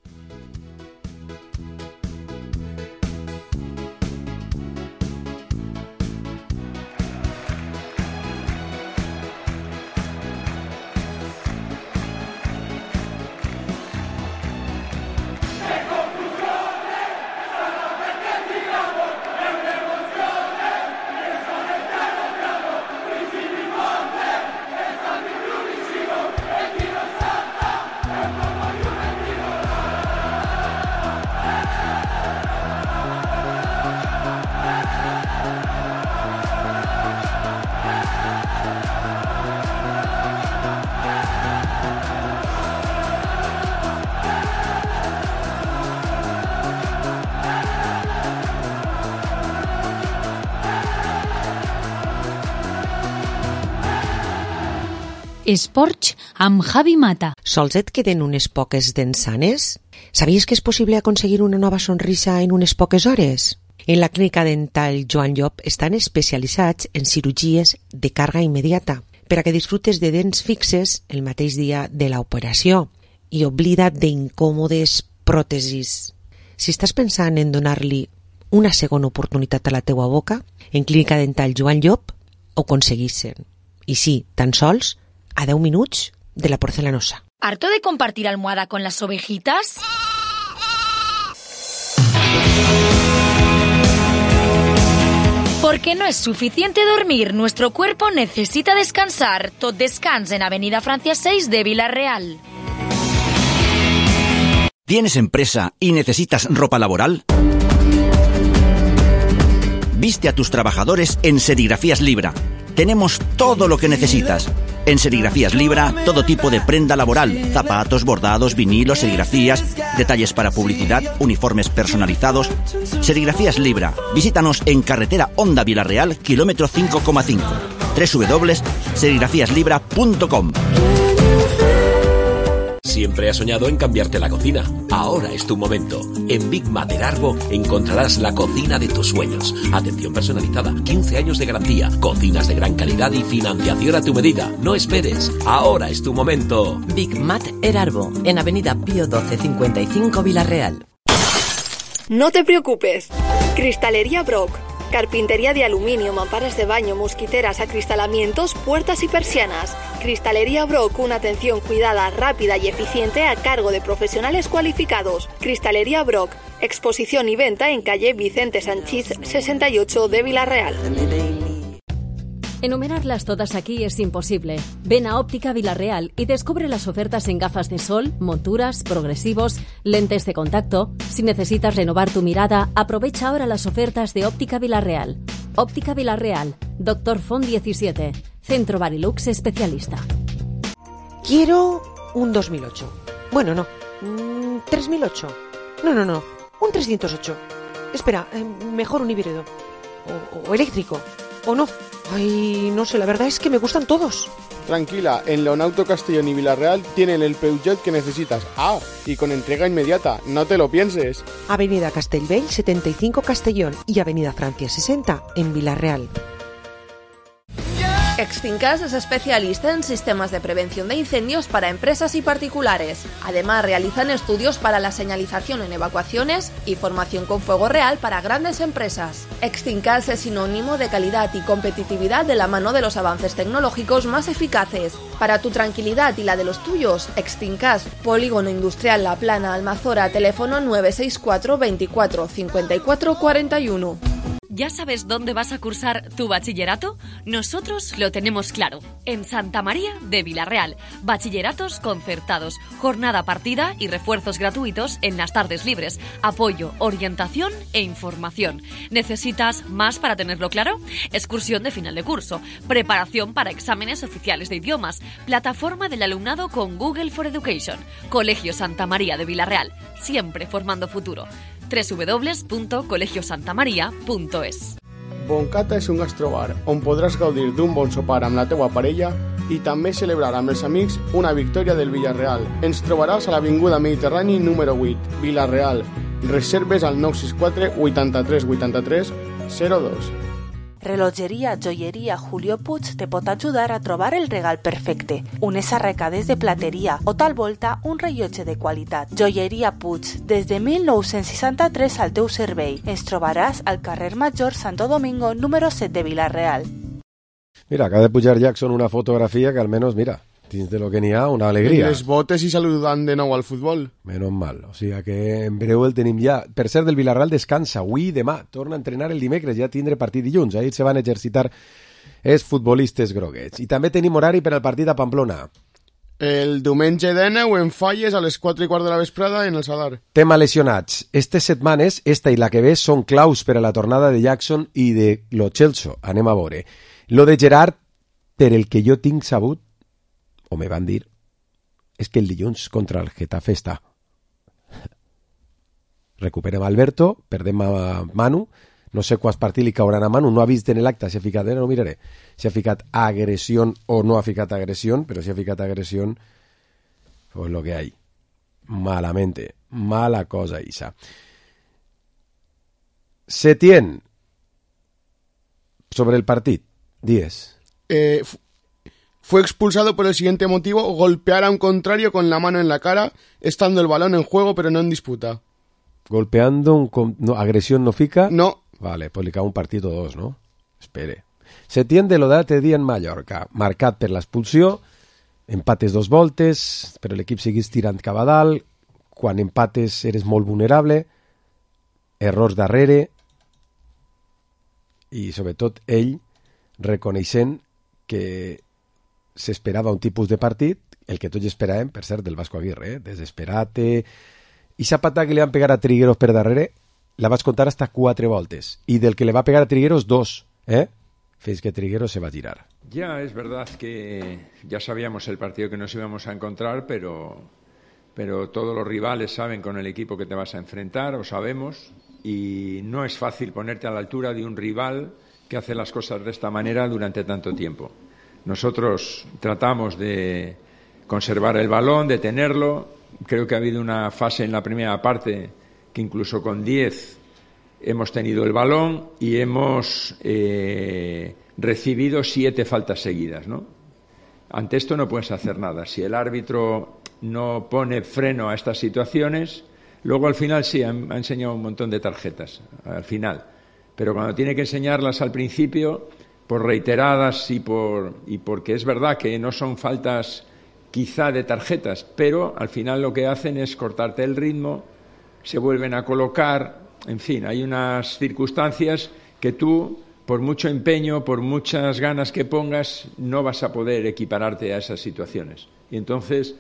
S5: Esports amb Javi Mata.
S6: Sols et queden unes poques dents sanes? Sabies que és possible aconseguir una nova sonrisa en unes poques hores? En la clínica dental Joan Llop estan especialitzats en cirurgies de càrrega immediata per a que disfrutes de dents fixes el mateix dia de l'operació i oblida't d'incòmodes pròtesis. Si estàs pensant en donar-li una segona oportunitat a la teua boca, en clínica dental Joan Llop ho aconseguissin. I sí, tan sols a 10 minuts de la porcelanosa.
S5: ¿Harto de compartir almohada con las ovejitas? Porque no es suficiente dormir, nuestro cuerpo necesita descansar. Tot Descans en Avenida Francia 6 de Vila-real.
S7: ¿Tienes empresa y necesitas ropa laboral? Viste a tus trabajadores en Serigrafías Libra. Tenemos todo lo que necesitas. En Serigrafías Libra, todo tipo de prenda laboral, zapatos, bordados, vinilos, serigrafías, detalles para publicidad, uniformes personalizados. Serigrafías Libra. Visítanos en carretera Honda Vila-real, kilómetro 5,5. www.serigrafíaslibra.com.
S8: Siempre has soñado en cambiarte la cocina. Ahora es tu momento. En Big Mater Arbo encontrarás la cocina de tus sueños. Atención personalizada, 15 años de garantía, cocinas de gran calidad y financiación a tu medida. No esperes. Ahora es tu momento.
S9: Big Mater Arbo, en Avenida Pío 12, 55, Vila-real.
S10: No te preocupes. Cristalería Brock. Carpintería de aluminio, mamparas de baño, mosquiteras, acristalamientos, puertas y persianas. Cristalería Brock, una atención cuidada, rápida y eficiente a cargo de profesionales cualificados. Cristalería Brock, exposición y venta en calle Vicente Sanchís 68 de Vila-real.
S11: Enumerarlas todas aquí es imposible. Ven a Óptica Vila-real y descubre las ofertas en gafas de sol, monturas, progresivos, lentes de contacto. Si necesitas renovar tu mirada, aprovecha ahora las ofertas de Óptica Vila-real. Óptica Vila-real, Dr. Font 17, Centro Barilux especialista.
S6: Quiero un 2008. Bueno, no. 3008. No. Un 308. Espera, mejor un híbrido. O eléctrico. O no. Ay, no sé, la verdad es que me gustan todos.
S4: Tranquila, en Leonauto Castellón y Vila-real tienen el Peugeot que necesitas. Ah, y con entrega inmediata, no te lo pienses.
S6: Avenida Castellbell 75 Castellón y Avenida Francia 60 en Vila-real.
S12: Extincas es especialista en sistemas de prevención de incendios para empresas y particulares. Además, realizan estudios para la señalización en evacuaciones y formación con fuego real para grandes empresas. Extincas es sinónimo de calidad y competitividad de la mano de los avances tecnológicos más eficaces. Para tu tranquilidad y la de los tuyos, Extincas, Polígono Industrial La Plana, Almazora, teléfono 964 24 54 41.
S13: ¿Ya sabes dónde vas a cursar tu bachillerato? Nosotros lo tenemos claro. En Santa María de Vila-real. Bachilleratos concertados, jornada partida y refuerzos gratuitos en las tardes libres. Apoyo, orientación e información. ¿Necesitas más para tenerlo claro? Excursión de final de curso, preparación para exámenes oficiales de idiomas, plataforma del alumnado con Google for Education. Colegio Santa María de Vila-real. Siempre formando futuro. www.colegiosantamaria.es.
S4: Boncata és un gastrobar on podràs gaudir d'un bon sopar amb la teua parella i també celebrar amb els amics una victòria del Villarreal. Ens trobaràs a l'Avinguda Mediterrani número 8, Vila-real. Reserves al 964 83 83 02.
S14: Relojeria Joieria Julio Puig te pot ajudar a trobar el regal perfecte. Unes arracades de plateria o tal volta un rellotge de qualitat. Joieria Puig, des de 1963 al teu servei. Ens trobaràs al carrer Major Santo Domingo número 7 de Vila-real.
S3: Mira, acaba de pujar Jackson una fotografía que al menos, mira, dins de lo que n'hi ha, una alegria.
S4: Les botes i saludant de nou al futbol.
S3: Menos mal, o sigui que en breu el tenim ja. Per cert, del Villarreal descansa avui i demà. Torna a entrenar el dimecres, ja tindré partit dilluns. Ahir se van exercitar els futbolistes groguets. I també tenim horari per al partit a Pamplona.
S4: El diumenge de 9 en Falles a les 4:15 de la vesprada en el Sadar.
S3: Tema lesionats. Estes setmanes, esta i la que ve, són claus per a la tornada de Jackson i de Lo Celso. Anem a veure. Lo de Gerard, per el que jo tinc sabut, o me van dir, és que el dilluns contra el Getafe està. Recuperem Alberto, perdem a Manu, no sé quants partits li cauran a Manu, no ha vist en l'acte, si ha ficat, no miraré, si ha ficat agressió o no ha ficat agressió, però si ha ficat agressió, pues lo que hay. Malamente, mala cosa, Isa. Setién, sobre el partit, dies.
S4: Fue expulsado por el siguiente motivo: golpear a un contrario con la mano en la cara, estando el balón en juego pero no en disputa.
S3: Golpeando no, agresión no fica?
S4: No.
S3: Vale, pues li cau un partit o dos, no? Espere. Setién de l'Odat dia en Mallorca, marcat per l'expulsió, empates 2 voltes, però l'equip seguís tirant cap a dalt, quan empates eres molt vulnerable, errors darrere, i sobretot ell reconeixent que s'esperava un tipus de partit, el que tots esperàvem, per cert, del Vasco Aguirre, desesperate. I esa patada que li van pegar a Trigueros per darrere la vas contar hasta 4 voltes, y del que le va a pegar a Trigueros 2, Fins que Trigueros se va a tirar.
S15: Ya, es verdad que ya sabíamos el partido que nos íbamos a encontrar, pero todos los rivales saben con el equipo que te vas a enfrentar, o sabemos, y no es fácil ponerte a la altura de un rival que hace las cosas de esta manera durante tanto tiempo. Nosotros tratamos de conservar el balón, de tenerlo. Creo que ha habido una fase en la primera parte que incluso con 10 hemos tenido el balón y hemos recibido 7 faltas seguidas, ¿no? Ante esto no puedes hacer nada. Si el árbitro no pone freno a estas situaciones, luego al final sí, ha enseñado un montón de tarjetas, al final. Pero cuando tiene que enseñarlas al principio, por reiteradas y porque es verdad que no son faltas quizá de tarjetas, pero al final lo que hacen es cortarte el ritmo, se vuelven a colocar, en fin, hay unas circunstancias que tú, por mucho empeño, por muchas ganas que pongas, no vas a poder equipararte a esas situaciones. Y entonces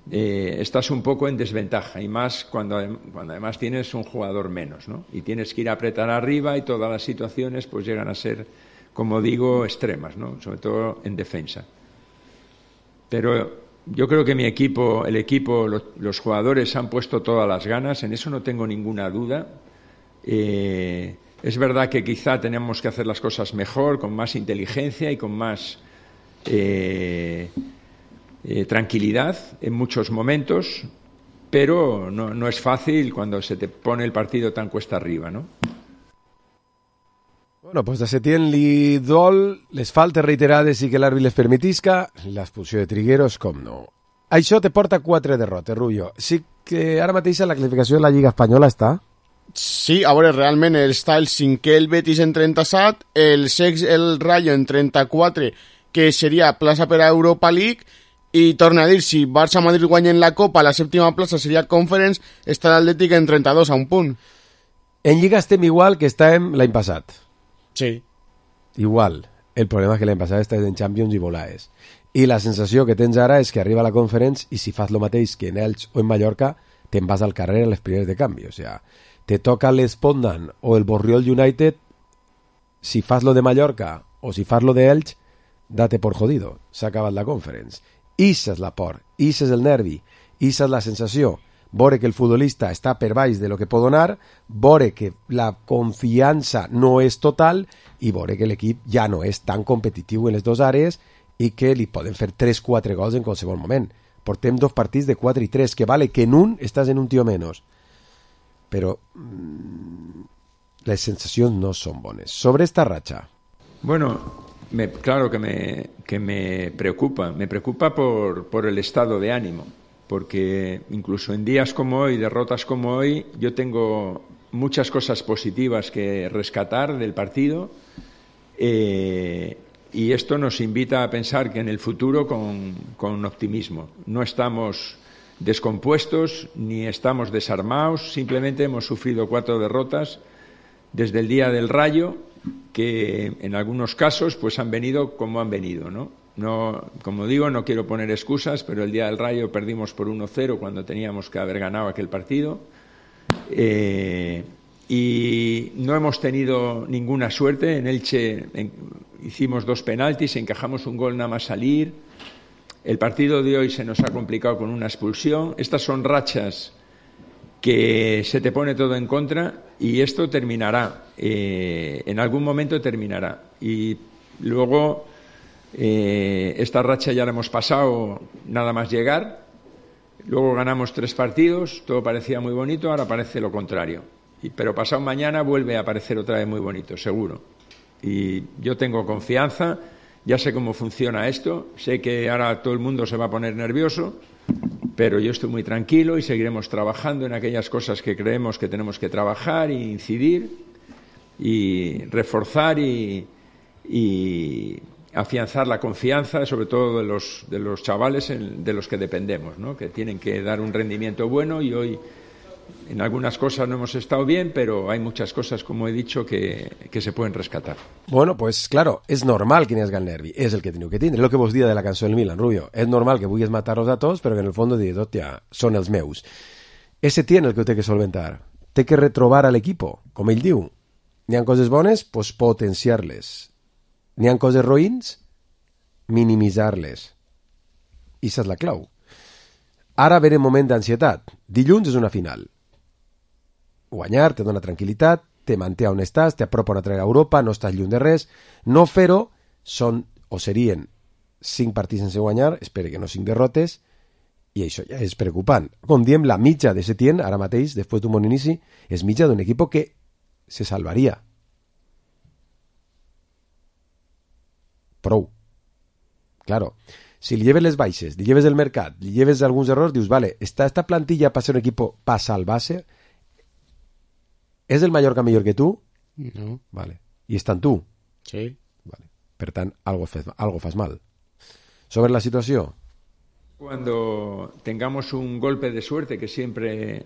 S15: estás un poco en desventaja, y más cuando además tienes un jugador menos, ¿no? Y tienes que ir a apretar arriba y todas las situaciones pues llegan a ser, como digo, extremas, ¿no? Sobre todo en defensa. Pero yo creo que el equipo, los jugadores han puesto todas las ganas, en eso no tengo ninguna duda. Es verdad que quizá tenemos que hacer las cosas mejor, con más inteligencia y con más tranquilidad en muchos momentos, pero no es fácil cuando se te pone el partido tan cuesta arriba, ¿no?
S3: Bueno, pues de Setién li dol les faltes reiterades i que l'àrbit les permetisca, l'expulsió de Trigueros, com no. Això te porta 4 derrotes, Rubio. Sí que ara mateix la classificació de la Lliga Espanyola està?
S4: Sí, a veure, realment està el 5è el Betis en 37, el 6è el Rayo en 34, que seria plaça per a Europa League, i torna a dir, si Barça-Madrid guanyen la Copa, la 7ª plaça seria Conference, està l'Atlètic en 32 a un punt.
S3: En Lliga estem igual que estàvem l'any passat.
S4: Sí.
S3: Igual. El problema és que l'any passat estàs en Champions i volaes. I la sensació que tens ara és que arriba la Conference i si fas lo mateix que en Elx o en Mallorca, te'n vas al carrer a les primeres de canvi. O sea, te toca l'Espondan o el Borriol United, si fas lo de Mallorca o si fas lo de Elx, date por jodido. S'ha acabat la Conference. Issa és la por, issa és el nervi, issa és la sensació. Veure que el futbolista està per baix de lo que pot donar, veure que la confiança no és total i veure que l'equip ja no és tan competitiu en les dues àrees i que li poden fer 3-4 gols en qualsevol moment. Portem 2 partits de 4 i 3, que vale que en un estàs en un tio menys. Però les sensacions no són bones. Sobre esta racha.
S15: Bueno, claro que me preocupa por el estado de ánimo. Porque incluso en días como hoy, derrotas como hoy, yo tengo muchas cosas positivas que rescatar del partido y esto nos invita a pensar que en el futuro con optimismo. No estamos descompuestos ni estamos desarmados, simplemente hemos sufrido 4 derrotas desde el día del Rayo, que en algunos casos pues han venido como han venido, ¿no? No, como digo, no quiero poner excusas, pero el día del Rayo perdimos por 1-0 cuando teníamos que haber ganado aquel partido y no hemos tenido ninguna suerte. En Elche hicimos 2 penaltis, encajamos un gol nada más salir. El partido de hoy se nos ha complicado con una expulsión. Estas son rachas que se te pone todo en contra y esto terminará, en algún momento terminará. Y luego esta racha ya la hemos pasado nada más llegar, luego ganamos 3 partidos, todo parecía muy bonito, ahora parece lo contrario, pero pasado mañana vuelve a parecer otra vez muy bonito, seguro. Y yo tengo confianza, ya sé cómo funciona esto, sé que ahora todo el mundo se va a poner nervioso, pero yo estoy muy tranquilo y seguiremos trabajando en aquellas cosas que creemos que tenemos que trabajar e incidir y reforzar y afianzar la confianza, sobre todo de los chavales de los que dependemos, ¿no? Que tienen que dar un rendimiento bueno y hoy En algunas cosas no hemos estado bien, pero hay muchas cosas, como he dicho, que se pueden rescatar.
S3: Bueno, pues claro, és normal que n'hi hagi el nervi, és el que teniu que tindre, és el que vos dia de la cançó del Milan, Rubio. És normal que vulguis matar-los a tots, però que en el fons dir, hòstia, són els meus. Ese tiene el que ho té que solventar. Té que retrobar a l'equipo, com ell diu. N'hi ha coses bones, pues potenciar-les. N'hi ha coses roïns, minimitzar-les. I això és la clau. Ara ve el moment d'ansietat. Dilluns és una final. Guanyar te dona tranquil·litat, te manté on estàs, t'apropa una altra a Europa, no estàs lluny de res. No fer-ho són o serien 5 partits sense guanyar, espero que no 5 derrotes, i això ja és preocupant. Com diem, la mitja de Setién, ara mateix, després d'un bon inici, és mitja d'un equip que se salvaria. Prou. Claro, si li lleves les baixes, li lleves el mercat, li lleves alguns errors, dius, vale, esta plantilla para ser un equipo para salvarse, ¿es el Mallorca millor que tú?
S4: No.
S3: Vale. ¿Y está en tú?
S4: Sí.
S3: Vale. Per tant, algo fas mal. Sobre la situación.
S15: Cuando tengamos un golpe de suerte, que siempre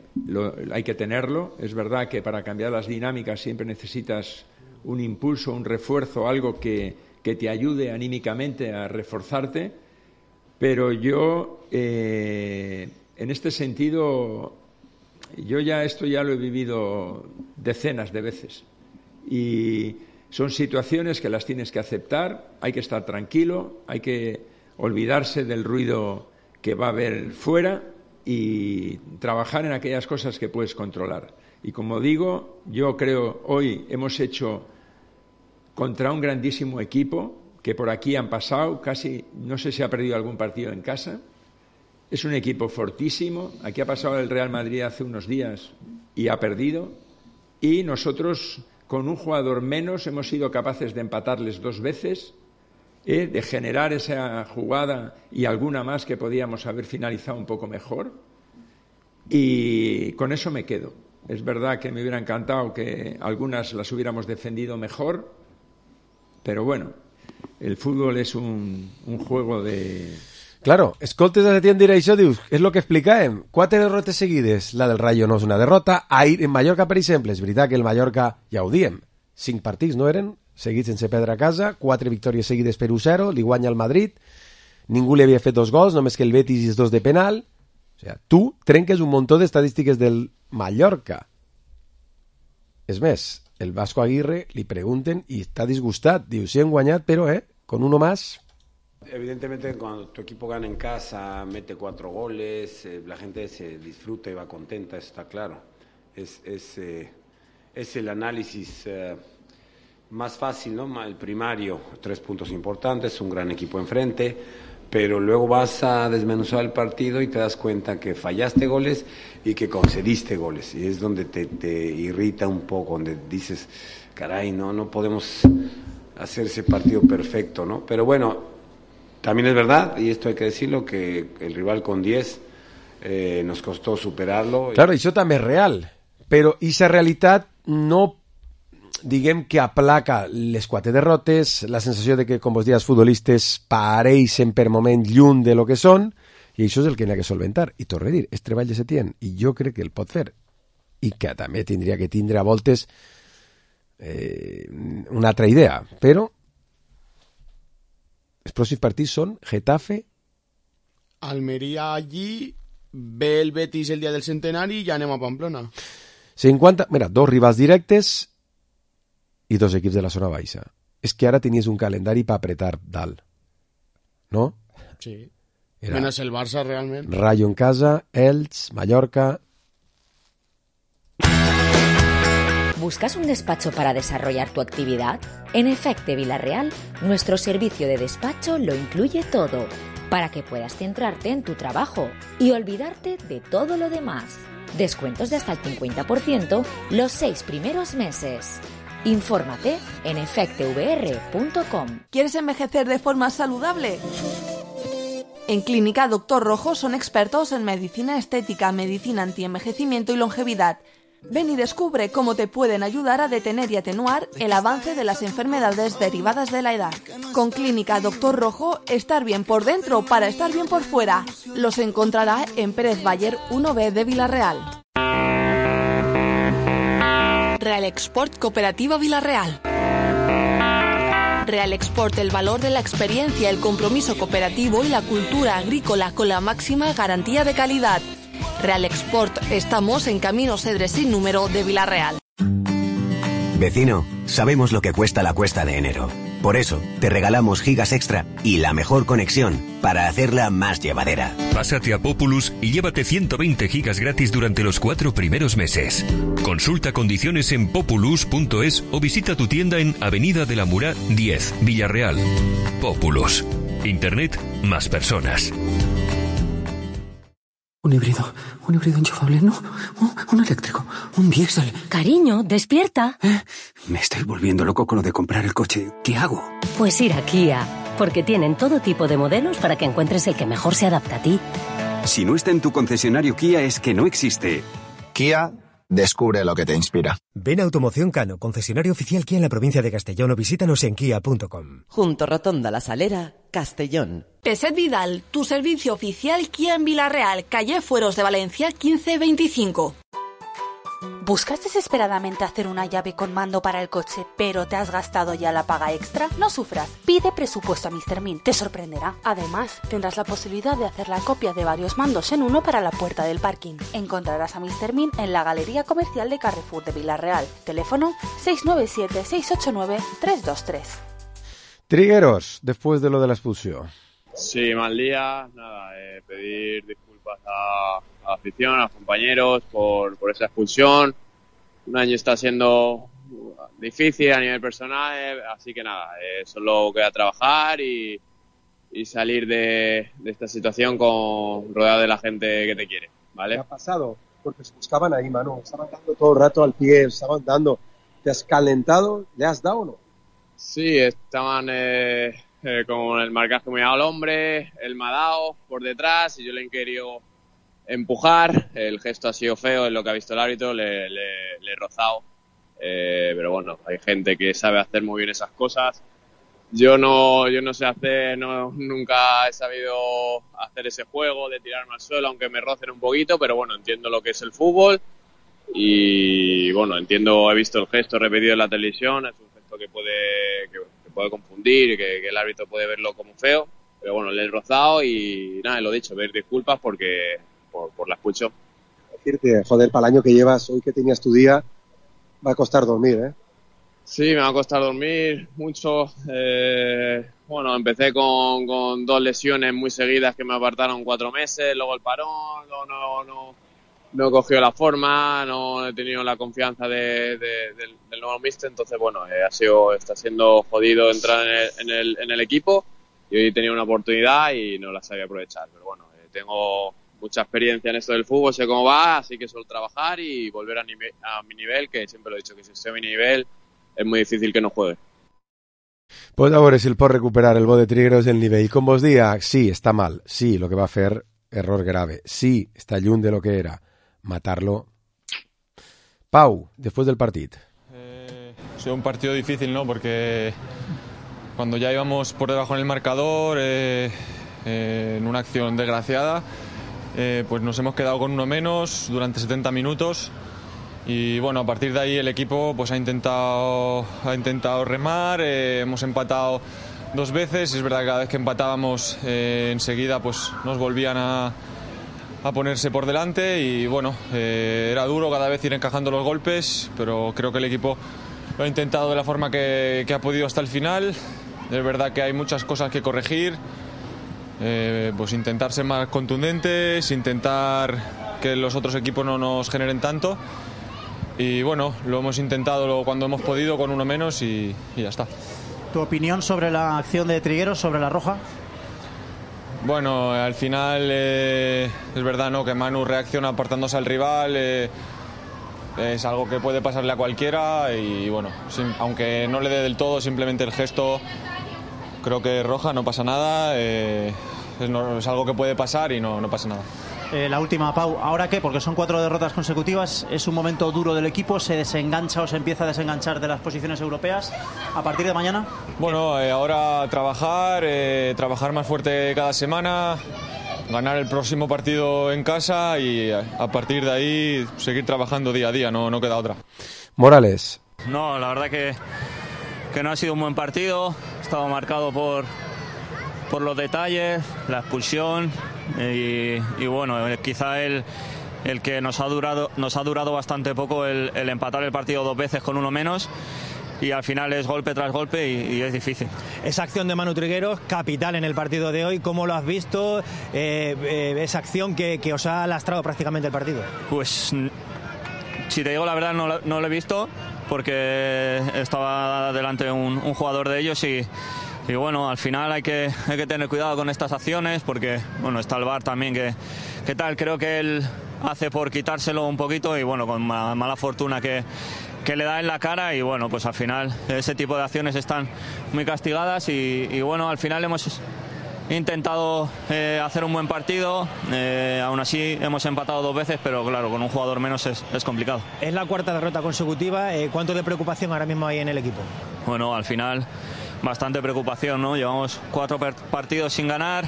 S15: hay que tenerlo, es verdad que para cambiar las dinámicas siempre necesitas un impulso, un refuerzo, algo que te ayude anímicamente a reforzarte, pero yo, en este sentido, esto ya lo he vivido decenas de veces, y son situaciones que las tienes que aceptar, hay que estar tranquilo, hay que olvidarse del ruido que va a haber fuera y trabajar en aquellas cosas que puedes controlar. Y como digo, yo creo hoy hemos hecho contra un grandísimo equipo que por aquí han pasado, casi no sé si ha perdido algún partido en casa. Es un equipo fortísimo. Aquí ha pasado el Real Madrid hace unos días y ha perdido. Y nosotros, con un jugador menos, hemos sido capaces de empatarles 2 veces, de generar esa jugada y alguna más que podíamos haber finalizado un poco mejor. Y con eso me quedo. Es verdad que me hubiera encantado que algunas las hubiéramos defendido mejor, pero bueno, el fútbol es un juego de...
S3: Claro, escoltes a Setién dir això, dius, és el que explicàvem, 4 derrotes seguides, la del Rayo no és una derrota, ahir en Mallorca, per exemple, és veritat que el Mallorca, ja ho diem, 5 partits no eren, seguits sense perdre a casa, 4 victòries seguides per 1-0, li guanya el Madrid, ningú li havia fet 2 gols, només que el Betis i els 2 de penal, o sigui, tu trenques un muntó d'estadístiques del Mallorca. És més, el Vasco Aguirre li pregunten i està disgustat, diu, sí hem guanyat, però, con uno más...
S16: Evidentemente cuando tu equipo gana en casa, mete 4 goles, la gente se disfruta y va contenta, eso está claro. Es el análisis más fácil, ¿no? El primario, 3 puntos importantes, un gran equipo enfrente, pero luego vas a desmenuzar el partido y te das cuenta que fallaste goles y que concediste goles, y es donde te irrita un poco, donde dices, caray, no podemos hacer ese partido perfecto, ¿no? Pero bueno, también es verdad, y esto hay que decirlo, que el rival con 10 nos costó superarlo.
S3: Claro, això també és real, però aquesta realitat no, diguem que aplaca les 4 derrotes, la sensació de que, com vos dies, futbolistes pareixen per moment lluny de lo que són, i això és el que n'hi ha que solventar. I torno a dir, és treball de Setién, i jo crec que el pot fer, i que també tindria que tindre a voltes una altra idea, però els pròxims partits són Getafe,
S4: Almeria allí, ve el Betis el dia del centenari i ja anem a Pamplona.
S3: 50, mira, 2 rivals directes i 2 equips de la zona baixa. És que ara tenies un calendari per apretar dalt, no?
S4: Sí, menos el Barça realment.
S3: Rayo en casa, Elx, Mallorca...
S5: ¿Buscas un despacho para desarrollar tu actividad? En Efecte Villarreal, nuestro servicio de despacho lo incluye todo, para que puedas centrarte en tu trabajo y olvidarte de todo lo demás. Descuentos de hasta el 50% los 6 primeros meses. Infórmate en efectevr.com.
S12: ¿Quieres envejecer de forma saludable? En Clínica Doctor Rojo son expertos en medicina estética, medicina antienvejecimiento y longevidad. Ven y descubre cómo te pueden ayudar a detener y atenuar el avance de las enfermedades derivadas de la edad. Con Clínica Doctor Rojo, estar bien por dentro para estar bien por fuera. Los encontrará en Pérez Bayer 1B de Villarreal.
S10: Real Export Cooperativa Villarreal. Real Export, el valor de la experiencia, el compromiso cooperativo y la cultura agrícola con la máxima garantía de calidad. Real Export, estamos en Camino Cedres sin número de Villarreal.
S17: Vecino, sabemos lo que cuesta la cuesta de enero. Por eso, te regalamos gigas extra y la mejor conexión para hacerla más llevadera.
S18: Pásate a Populus y llévate 120 gigas gratis durante los 4 primeros meses. Consulta condiciones en populus.es o visita tu tienda en Avenida de la Murá 10, Villarreal. Populus. Internet más personas.
S19: Un híbrido enchufable, no, un eléctrico, un diésel.
S20: Cariño, despierta.
S19: Me estoy volviendo loco con lo de comprar el coche. ¿Qué hago?
S20: Pues ir a Kia, porque tienen todo tipo de modelos para que encuentres el que mejor se adapta a ti.
S21: Si no está en tu concesionario Kia es que no existe.
S22: Kia, descubre lo que te inspira.
S23: Ven a Automoción Cano, concesionario oficial Kia en la provincia de Castellón, o visítanos en kia.com.
S9: Junto Rotonda La Salera, Castellón.
S10: Peset Vidal, tu servicio oficial Kia en Villarreal, calle Fueros de Valencia 1525.
S14: ¿Buscas desesperadamente hacer una llave con mando para el coche, pero te has gastado ya la paga extra? No sufras, pide presupuesto a Mr. Min, te sorprenderá. Además, tendrás la posibilidad de hacer la copia de varios mandos en uno para la puerta del parking. Encontrarás a Mr. Min en la Galería Comercial de Carrefour de Villarreal. Teléfono 697-689-323.
S3: Trigueros, después de lo de la expulsión.
S24: Sí, mal día, nada, pedir disculpas a la afición, a los compañeros por esa expulsión. Un año está siendo difícil a nivel personal, así que nada, solo queda trabajar y salir de esta situación rodeado de la gente que te quiere, ¿vale?
S25: ¿Qué ha pasado? Porque se buscaban ahí, Manu, estaban dando todo el rato al pie, estaban dando. ¿Te has calentado? ¿Le has dado o no?
S24: Sí, estaban con el marcaje muy al hombre, él me ha dado por detrás y yo le he querido empujar, el gesto ha sido feo, es lo que ha visto el árbitro, le he rozado, pero bueno, hay gente que sabe hacer muy bien esas cosas. Yo no sé hacer, nunca he sabido hacer ese juego de tirarme al suelo, aunque me rocen un poquito, pero bueno, entiendo lo que es el fútbol y bueno, he visto el gesto repetido en la televisión, es un gesto que puede confundir y que el árbitro puede verlo como feo, pero bueno, le he rozado y nada, lo dicho, pedir disculpas por la expulsión.
S25: Decirte, joder, para el año que llevas, hoy que tenías tu día, va a costar dormir, ¿eh?
S24: Sí, me va a costar dormir mucho. Bueno, empecé con 2 lesiones muy seguidas que me apartaron 4 meses, luego el parón, no he cogido la forma, no he tenido la confianza del nuevo míster, entonces bueno, está siendo jodido entrar en el equipo y hoy he tenido una oportunidad y no la sabía aprovechar, pero bueno, tengo mucha experiencia en esto del fútbol, sé cómo va, así que solo trabajar y volver a mi nivel, que siempre lo he dicho, que si estoy a mi nivel es muy difícil que no juegue.
S3: Pues a veure si el pot recuperar el bo de Trigueros el nivell. Com vos dia, sí, està mal, sí, lo que va fer, error grave, sí, està lluny de lo que era, matarlo. Pau, después del partido.
S26: Ha sido un partido difícil, ¿no? Porque cuando ya íbamos por debajo en el marcador, en una acción desgraciada, pues nos hemos quedado con uno menos durante 70 minutos y bueno, a partir de ahí el equipo pues ha intentado remar, hemos empatado 2 veces, es verdad que cada vez que empatábamos enseguida pues nos volvían a ponerse por delante y bueno, era duro cada vez ir encajando los golpes, pero creo que el equipo lo ha intentado de la forma que ha podido hasta el final. Es verdad que hay muchas cosas que corregir, pues intentar ser más contundentes, intentar que los otros equipos no nos generen tanto y bueno, lo hemos intentado cuando hemos podido con uno menos y ya está.
S27: ¿Tu opinión sobre la acción de Trigueros, sobre la roja?
S26: Bueno, al final es verdad, ¿no?, que Manu reacciona apartándose al rival, es algo que puede pasarle a cualquiera y bueno, aunque no le dé del todo, simplemente el gesto, creo que roja, no pasa nada, es algo que puede pasar y no pasa nada.
S27: La última, Pau, ¿ahora qué? Porque son 4 derrotas consecutivas, es un momento duro del equipo, se desengancha o se empieza a desenganchar de las posiciones europeas a partir de mañana.
S26: Bueno, ahora trabajar más fuerte cada semana, ganar el próximo partido en casa y a partir de ahí seguir trabajando día a día, no queda otra.
S3: Morales.
S1: No, la verdad que no ha sido un buen partido. Ha estado marcado por los detalles, la expulsión y bueno, quizá el que nos ha durado bastante poco el empatar el partido 2 veces con uno menos. Y al final es golpe tras golpe y es difícil.
S2: Esa acción de Manu Trigueros, capital en el partido de hoy, ¿cómo lo has visto? Esa acción que os ha lastrado prácticamente el partido.
S1: Pues, si te digo la verdad, no lo he visto, porque estaba delante un jugador de ellos y bueno, al final hay que tener cuidado con estas acciones, porque bueno, está el VAR también que tal, creo que él hace por quitárselo un poquito y bueno, con mala fortuna que le da en la cara y bueno, pues al final ese tipo de acciones están muy castigadas y bueno, al final hemos intentado hacer un buen partido, aún así hemos empatado 2 veces, pero claro, con un jugador menos es complicado.
S2: Es la 4ª derrota consecutiva, ¿cuánto de preocupación ahora mismo hay en el equipo?
S1: Bueno, al final bastante preocupación, ¿no? Llevamos 4 partidos sin ganar,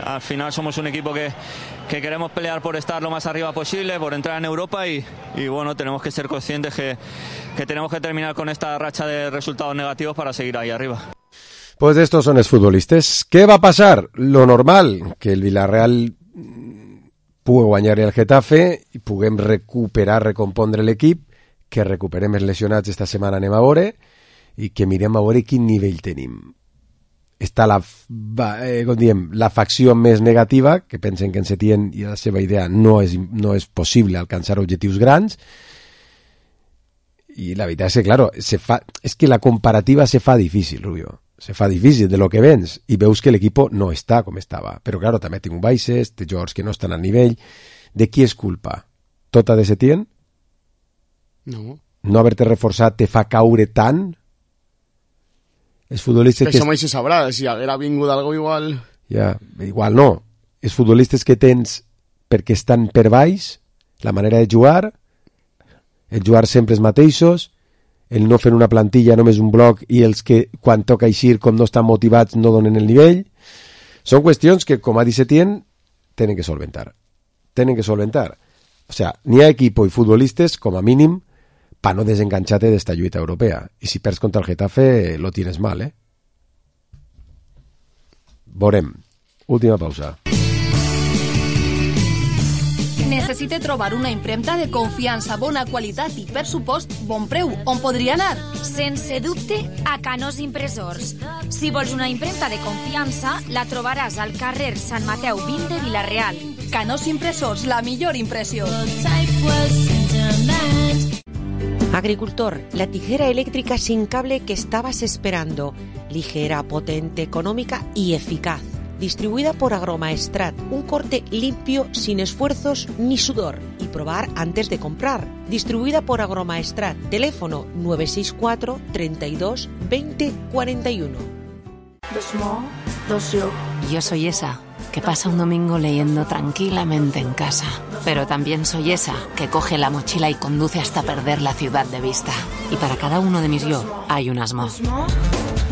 S1: al final somos un equipo que queremos pelear por estar lo más arriba posible, por entrar en Europa y bueno, tenemos que ser conscientes que tenemos que terminar con esta racha de resultados negativos para seguir ahí arriba.
S3: Pues estos son els futbolistes. Què va passar? Lo normal, que el Villarreal pugui guanyar el Getafe i puguem recompondre l'equip, que recuperem els lesionats esta setmana, anem a veure, i que mirem a veure quin nivell tenim. Està la facció més negativa, que pensen que en Setién i la seva idea no és possible alcançar objectius grans, i la veritat és que, claro, és que la comparativa se fa difícil, Rubio. Se fa difícil de lo que vens i veus que l'equip no està com estava. Però, claro, també tinc baixes, té jugadors que no estan al nivell. De qui és culpa? Tota de Setién?
S4: No.
S3: No haver-te reforçat te fa caure tant? Els futbolistes
S4: que... Això mai se sabrà, si haguera vingut algo igual...
S3: Ja, igual no. Els futbolistes que tens perquè estan per baix, la manera de jugar, el jugar sempre els mateixos, el no fer una plantilla, només un bloc, i els que quan toca eixir, com no estan motivats, no donen el nivell. Són qüestions que, com ha dit Setién, tenen que solventar. Tenen que solventar. O sea, n'hi ha equip i futbolistes, com a mínim, pa no desenganxar-te d'esta lluita europea. I si perds contra el Getafe, lo tienes mal, eh? Veurem. Última pausa.
S12: Necessite trobar una impremta de confiança, bona qualitat i, per supost, bon preu. On podria anar?
S6: Sense dubte, a Canós Impressors. Si vols una impremta de confiança, la trobaràs al carrer Sant Mateu 20 de Vila-real.
S12: Canós Impressors, la millor impressió.
S7: Agricultor, la tijera eléctrica sin cable que estabas esperando. Ligera, potente, económica y eficaz. Distribuida por Agromaestrat, un corte limpio, sin esfuerzos ni sudor. Y probar antes de comprar. Distribuida por Agromaestrat, teléfono 964 32 20 41.
S8: Yo soy esa que pasa un domingo leyendo tranquilamente en casa. Pero también soy esa que coge la mochila y conduce hasta perder la ciudad de vista. Y para cada uno de mis yo hay un Asmo.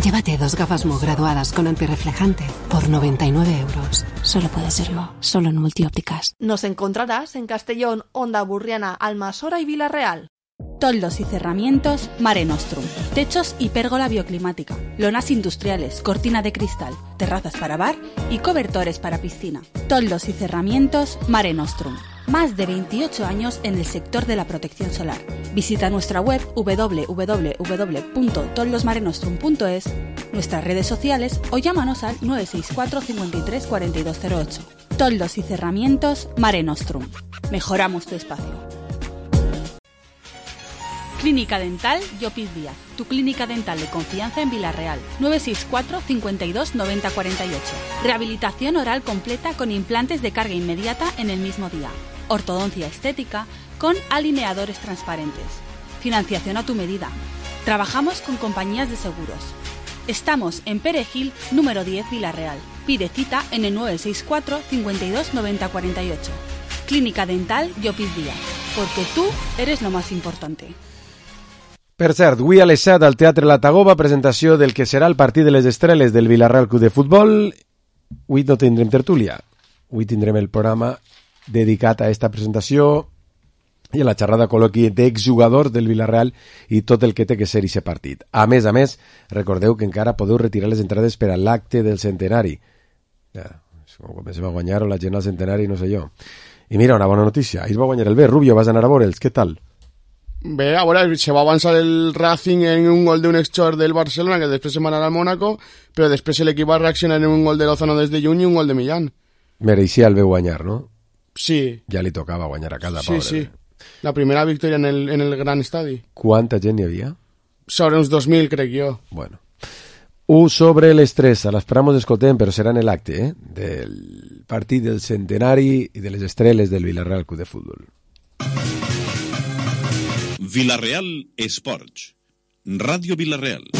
S8: Llévate 2 gafas Mo graduadas con antirreflejante por 99 euros. Solo puede serlo, solo en Multiópticas.
S12: Nos encontrarás en Castellón, Onda Burriana, Almasora y Vila-real.
S11: Toldos y cerramientos Mare Nostrum. Techos y pérgola bioclimática. Lonas industriales, cortina de cristal, terrazas para bar y cobertores para piscina. Toldos y cerramientos Mare Nostrum. Más de 28 años en el sector de la protección solar. Visita nuestra web www.toldosmarenostrum.es, nuestras redes sociales o llámanos al 964 53 4208. Toldos y cerramientos Mare Nostrum. Mejoramos tu espacio. Clínica Dental Llopis Díaz, tu clínica dental de confianza en Vila-real. 964 52 90 48. Rehabilitación oral completa con implantes de carga inmediata en el mismo día. Ortodoncia estética con alineadores transparentes. Financiación a tu medida. Trabajamos con compañías de seguros. Estamos en Perejil, número 10, Vila-real. Pide cita en el 964 52 90 48. Clínica Dental Llopis Díaz, porque tú eres lo más importante.
S3: Per cert, avui a les 7 al Teatre La Tagoba, presentació del que serà el partit de les estrelles del Villarreal Club de Futbol. Avui no tindrem tertúlia. Avui tindrem el programa dedicat a aquesta presentació i a la xerrada col·loqui d'exjugadors del Villarreal i tot el que té que ser aquest partit. A més, recordeu que encara podeu retirar les entrades per a l'acte del centenari. Ja, com comencem a guanyar o la gent al centenari, no sé jo. I mira, una bona notícia, ahir va guanyar el B. Rubio, vas anar a veure'ls, què tal?
S4: Bé, a veure, se va avançar el Racing en un gol d'un exxor del Barcelona, que després se va anar al Mónaco, però després l'equip va reaccionar en un gol de Lozano des de juny i un gol de Millán.
S3: Mereixia el B guanyar, no?
S4: Sí.
S3: Ja li tocava guanyar a casa,
S4: sí,
S3: pobre.
S4: Sí, la primera victòria en el gran estadi.
S3: Quanta gent hi havia?
S4: Sobre uns 2.000, crec jo.
S3: Bueno. Sobre les 3, a les paramos escoltem, però serà en l'acte, del partit del centenari i de les estrelles del Villarreal Club de Futbol.
S5: Villarreal Esports. Ràdio Villarreal.